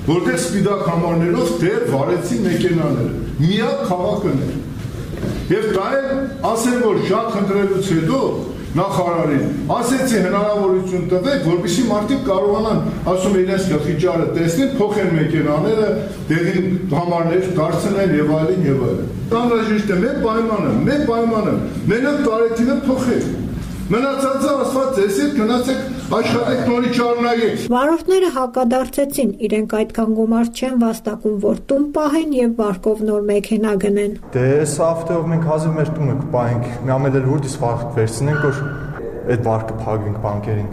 որտեղ սպիտակ համարներով դեռ վարեցին մեքենաները։ Միակ քաղաքն էր։ Եվ դա էլ ասեմ, որ շատ խնդրելուց հետո նախարարին ասեցի հնարավորություն տվեք, որպեսզի մարդիկ կարողանան, ասում իրենց գլխի ճարը տեսնեն, փոխեն մեքենաները, դեղին համարներ դարձնեն եւ այլն եւ այլն։ Անհրաժեշտ է մեր պայմանը, մեր պայմանը, մենակ տարեթիվը փոխել։ Մնացածը ասված էս է, գնացեք աշխատեք նորի շարունակեք։ Վարորդները հակադարձեցին, իրենք այդքան գումար չեն վաստակում, որ տուն պահեն եւ վարկով նոր մեքենա գնեն։ Դե այս հաղթեով մենք հազիվ մեր տունը կպահենք, միամել էլ հուրդից վարկ վերցնենք, որ այդ վարկը փակվենք բանկերին։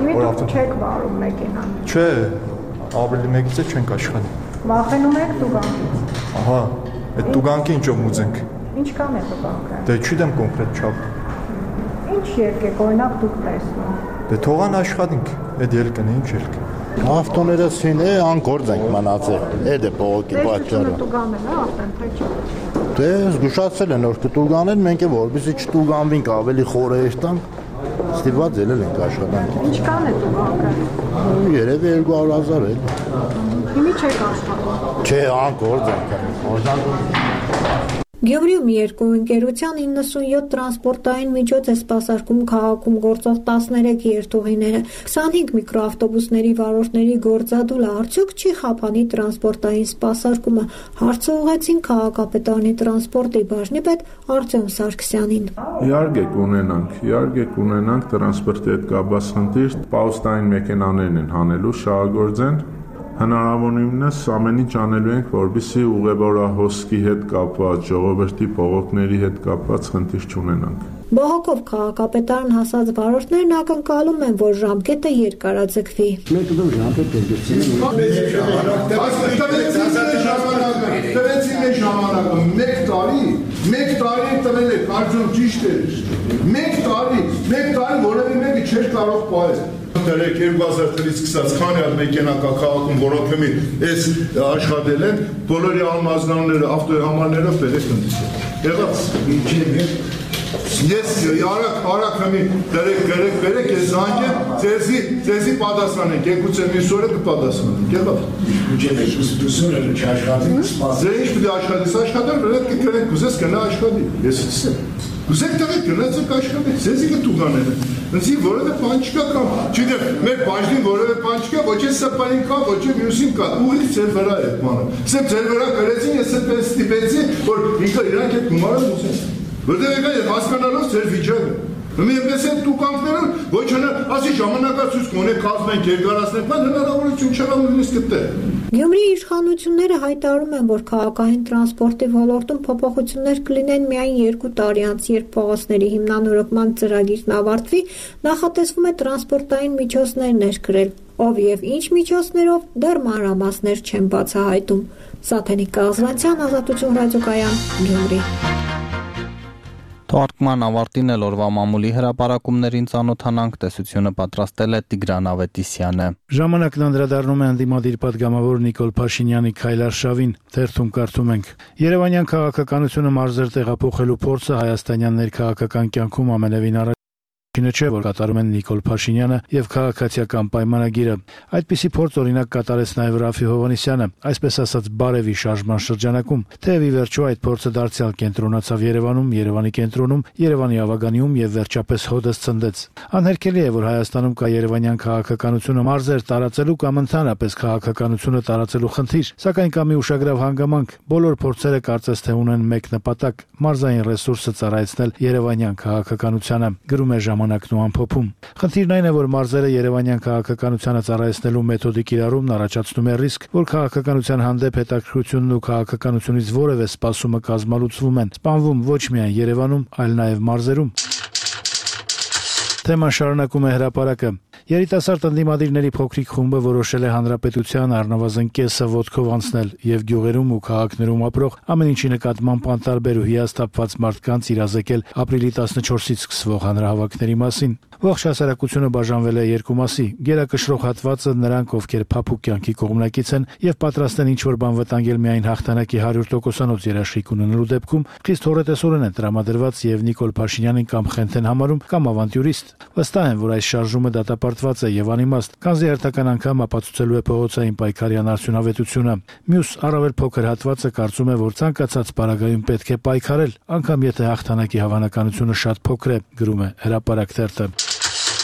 Դուք չեք վարում մեքենան։ Չէ, ավելի մեկից է չենք աշխատի։ Վախենում եք տուգանքից։ Ահա, այդ տուգանքը ինչով մուծենք։ Ինչքան է տուգանքը։ Դե չգիտեմ կոնկրետ չափ։ Ինչ ելք է օրինակ դուք տեսնում։ Դե թողան աշխատենք, այդ ելքն է, ինչ ելք։ Ավտոները սին է, անգործ ենք մնացել, այդ է բողոքի պատճառը։ Դե տուգանել է արդեն, թե չէ։ Դե զգուշացել են, որ կտուգանեն, մենք է որպեսզի չտուգանվենք, ավելի խորհուրդ տանք, ստիպված ելել ենք աշխատանքի։ Ինչքան է տուգանքը։ Երևի երկու հարյուր հազար է։ Հիմի չեք աշխատում։ Չէ, անգործ ենք։ Գյումրիում երկու ընկերության իննսունյոթ տրանսպորտային միջոց է սպասարկում քաղաքում գործող տասներեք երթուղիները։ քսանհինգ միկրոավտոբուսների վարորդների գործադուլը արդյոք չի խափանի տրանսպորտային սպասարկումը, հարցը ուղղեցին քաղաքապետարանի տրանսպորտի բաժնի պետ Արտյոմ Սարգսյանին։ Իհարկե կունենանք, իհարկե կունենանք տրանսպորտի հետ կապված խնդիր, պաուստային մեքենաներն են հանելու, շահագործեն։ Հնարավորինս ամեն ինչ անելու ենք, որպեսզի ուղևորահոսքի հետ կապված, ժողովրդի բողոքների հետ կապված խնդիր չունենանք։ Բողոքով քաղաքապետարան հասած վարորդներն ակնկալում են, որ ժամկետը երկարաձգվի։ Մեկը դու ժամկետ Տվեցին մեր ժամանակը, մեկ տարի, մեկ տարի տվել եք, արդյոք ճիշտ է։ Մեկ տարի, մեկ տարի որևէ մեկը չէր կարող պահել։ Դերեք երկու հազար թվականից սկսած քանի հատ մեքենա կա քաղաքում, որոնք հիմի այս աշխատել են, բոլորի անմազգանները ավտոհամարներով բերեք ընդդիմել։ Եղած ինչի՞ Ես արագ արագ հիմի դերեք գրեք բերեք ես զանգեմ, ձեզի ձեզի պատասխանենք, եկուցե մյուս օրը կպատասխանենք։ Եղավ։ Ինչի՞ մեջ ուսուցումը չաշխատի, սպասել։ Դե ինչ պիտի աշխատես, աշխատել, պետք է գրենք, կուզես գնա աշխատի։ Ես ցույց Գուցեք տղեկ գնացեք աշխատեք, ձեզի կտուգաները։ Ընձի որևէ բան չկա կամ, չգիտեմ, մեր բաժնին որևէ բան չկա, ոչ է սպային կա, ոչ է մյուսին կա, ուղիղ ձեր վրա է բանը։ Սեպ ձեր վրա գրեցին, ես սեպ ստիպեցի, որ ինքը իրանք այդ գումարը ուզեն։ Որտեղ եկա եւ հասկանալով ձեր վիճակը։ Մի այնպես են տուկանքները, ոչ հնա, ասի ժամանակացույց կոնե կազմենք, երկարացնենք, բայց հնարավորություն չկա նույնիսկ դեռ։ Գյումրիի իշխանությունները հայտարարում են, որ քաղաքային տրանսպորտի ոլորտում փոփոխություններ կլինեն միայն երկու տարի անց, երբ փողոցների հիմնանորոգման ծրագիրն ավարտվի, նախատեսվում է տրանսպորտային միջոցներ ներկրել, ով եւ ինչ միջոցներով դեռ մանրամասներ չեն բացահայտում։ Սաթենիկ Կազրանցյան, Ազատություն ռադիոկայան, Գյումրի։ Թողարկման ավարտին էլ օրվա մամուլի հրապարակումներին ծանոթանանք, տեսությունը պատրաստել է Տիգրան Ավետիսյանը։ Ժամանակն անդրադառնում է անդիմադիր падգամավոր Նիկոլ Փաշինյանի քայլարշավին, թերթում կարդում ենք. Երևանյան քաղաքականությունը մարզեր տեղափոխելու փորձը հայաստանյան ներքաղաքական կյանքում ամենևին առաջ Չինը չէ, որ կատարում են Նիկոլ Փաշինյանը եւ քաղաքացիական պայմանագիրը։ Այդպիսի փորձ օրինակ կատարեց նաեւ Ռաֆի Հովհաննիսյանը, այսպես ասած բարևի շարժման շրջանակում։ Թեև ի վերջո այդ փորձը դարձյալ կենտրոնացավ Երևանում, Երևանի կենտրոնում, Երևանի ավագանիում եւ վերջապես հոդս ցնդեց։ Անհերքելի է, որ Հայաստանում կա երևանյան քաղաքականությունը մարզեր տարածելու կամ ընդհանրապես քաղաքականությունը տարածելու խնդիր, սակայն կա մի ուշագրավ հանգամանք։ Բոլոր փորձերը կարծես թե ունեն մեկ նպատակ՝ մարզային ռեսուրսը ծառայեցնել երևանյան քաղաքականությանը։ Գրում է ժամանակն ու ամփոփում։ Խնդիրն այն է, որ մարզերը Երևանյան քաղաքականությանը ծառայեցնելու մեթոդիկ կիրառումն առաջացնում է ռիսկ, որ քաղաքականության հանդեպ հետաքրքրությունն ու քաղաքականությունից որևէ սպասումը կազմալուծվում են, սպանվում ոչ միայն Երևանում, այլ նաև մարզերում։ Թեման շարունակում է հրապարակը։ Երիտասարդ ընդդիմադիրների փոքրիկ խումբը որոշել է հանրապետության առնվազն կեսը ոտքով անցնել եւ գյուղերում ու քաղաքներում ապրող ամեն ինչի նկատմամբ անտարբեր ու հիասթափված մարդկանց իրազեկել ապրիլի տասնչորսից սկսվող հանրահավաքների մասին։ Ողջ հասարակությունը բաժանվել է երկու մասի՝ գերակշռող հատվածը նրանք, ովքեր փափուկ կյանքի կողմնակից են եւ պատրաստ են ինչ-որ բան վտանգել միայն հաղթանակի հարյուր տոկոսանոց երաշխիք ունենալու դեպքում, խիստ հորետեսորեն են տրամադրված եւ Նիկոլ Փաշինյանին կամ Խենթեն համարում կամ ավանտյուրիստ։ Վստահ են, որ այս շարժումը դատապարտված է եւ անիմաստ, քանզի հերթական անգամ ապացուցելու է փողոցային պայքարյան արդյունավետությունը։ Մյուս առավել փոքր հատվածը կարծում է, որ ցանկացած պարագայում պետք է պայքարել, անգամ եթե հաղթանակի հավանականությունը շատ փոքր է, գրում է Հրապարակ թերթը։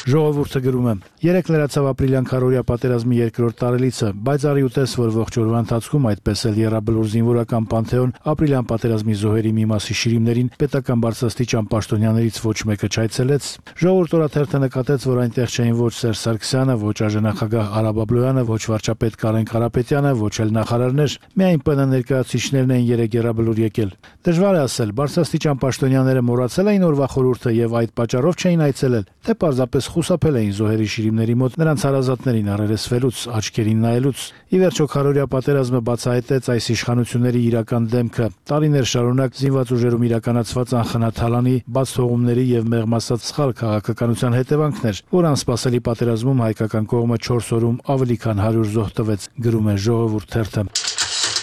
Ժողովուրդը գրում է. Երեկ լրացավ ապրիլյան քարորիա պատերազմի երկրորդ տարելիցը, բայց արի ու տես, որ ողջ օրվա ընթացքում այդպես էլ Եռաբլուր զինվորական պանթեոն ապրիլյան պատերազմի զոհերի մի մասի շիրիմներին պետական բարձրաստիճան պաշտոնյաներից ոչ մեկը չայցելեց։ Ժողովուրդ օրաթերթը նկատեց, որ այնտեղ չէին ոչ Սերժ Սարգսյանը, ոչ ԱԺՆախագահ Արա Բաբլոյանը, ոչ վարչապետ Կարեն Կարապետյանը, ոչ էլ նախարարներ, միայն ՊՆ ներկայացուցիչներն էին երեկ Եռաբլուր եկել։ Դժվար է ասել, բարձրաստիճան պաշտոնյաները մոռացել էին օրվա խորհուրդը եւ այդ պատճառով չէին այցելել, թե պարզապես խուսափել էին զոհերի շիրիմների մոտ նրանց հարազատներին առերեսվելուց, աչքերին նայելուց։ Ի վերջո քարորիա պատերազմը բացահայտեց այս իշխանությունների իրական դեմքը։ Տարիներ շարունակ զինված ուժերում իրականացված անխնաթալանի, բաց թողումների եւ մեղմ ասած սխալ քաղաքականության հետևանքներ, որ անսպասելի պատերազմում հայկական կողմը չորս օրում ավելի քան հարյուր զոհ տվեց, գրում է Ժողովուրդ թերթը։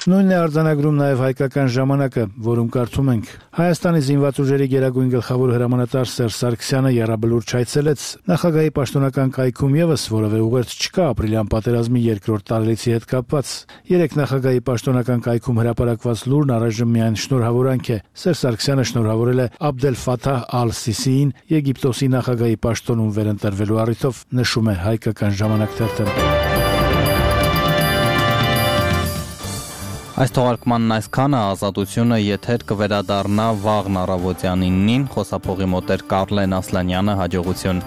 Նույնն է արձանագրում նաև Հայկական ժամանակը, որում կարդում ենք. Հայաստանի զինված ուժերի գերագույն գլխավոր հրամանատար Սերժ Սարգսյանը Եռաբլուր չայցելեց։ Նախագահի պաշտոնական կայքում եւս որևէ ուղերձ չկա ապրիլյան պատերազմի երկրորդ տարելիցի հետ կապված։ Երեք նախագահի պաշտոնական կայքում հրապարակված լուրն առայժմ միայն շնորհավորանք է։ Սերժ Սարգսյանը շնորհավորել է Աբդել Ֆաթահ Ալ-Սիսիին Եգիպտոսի նախագահի պաշտոնում վերընտրվելու առիթով, նշում է Հայկական ժամանակ թերթը։ Այս թողարկմանն այսքանը, Ազատությունը եթեր կվերադառնա վաղն առավոտյան իննին, խոսափողի մոտ էր Կարլեն Ասլանյանը, հաջողություն։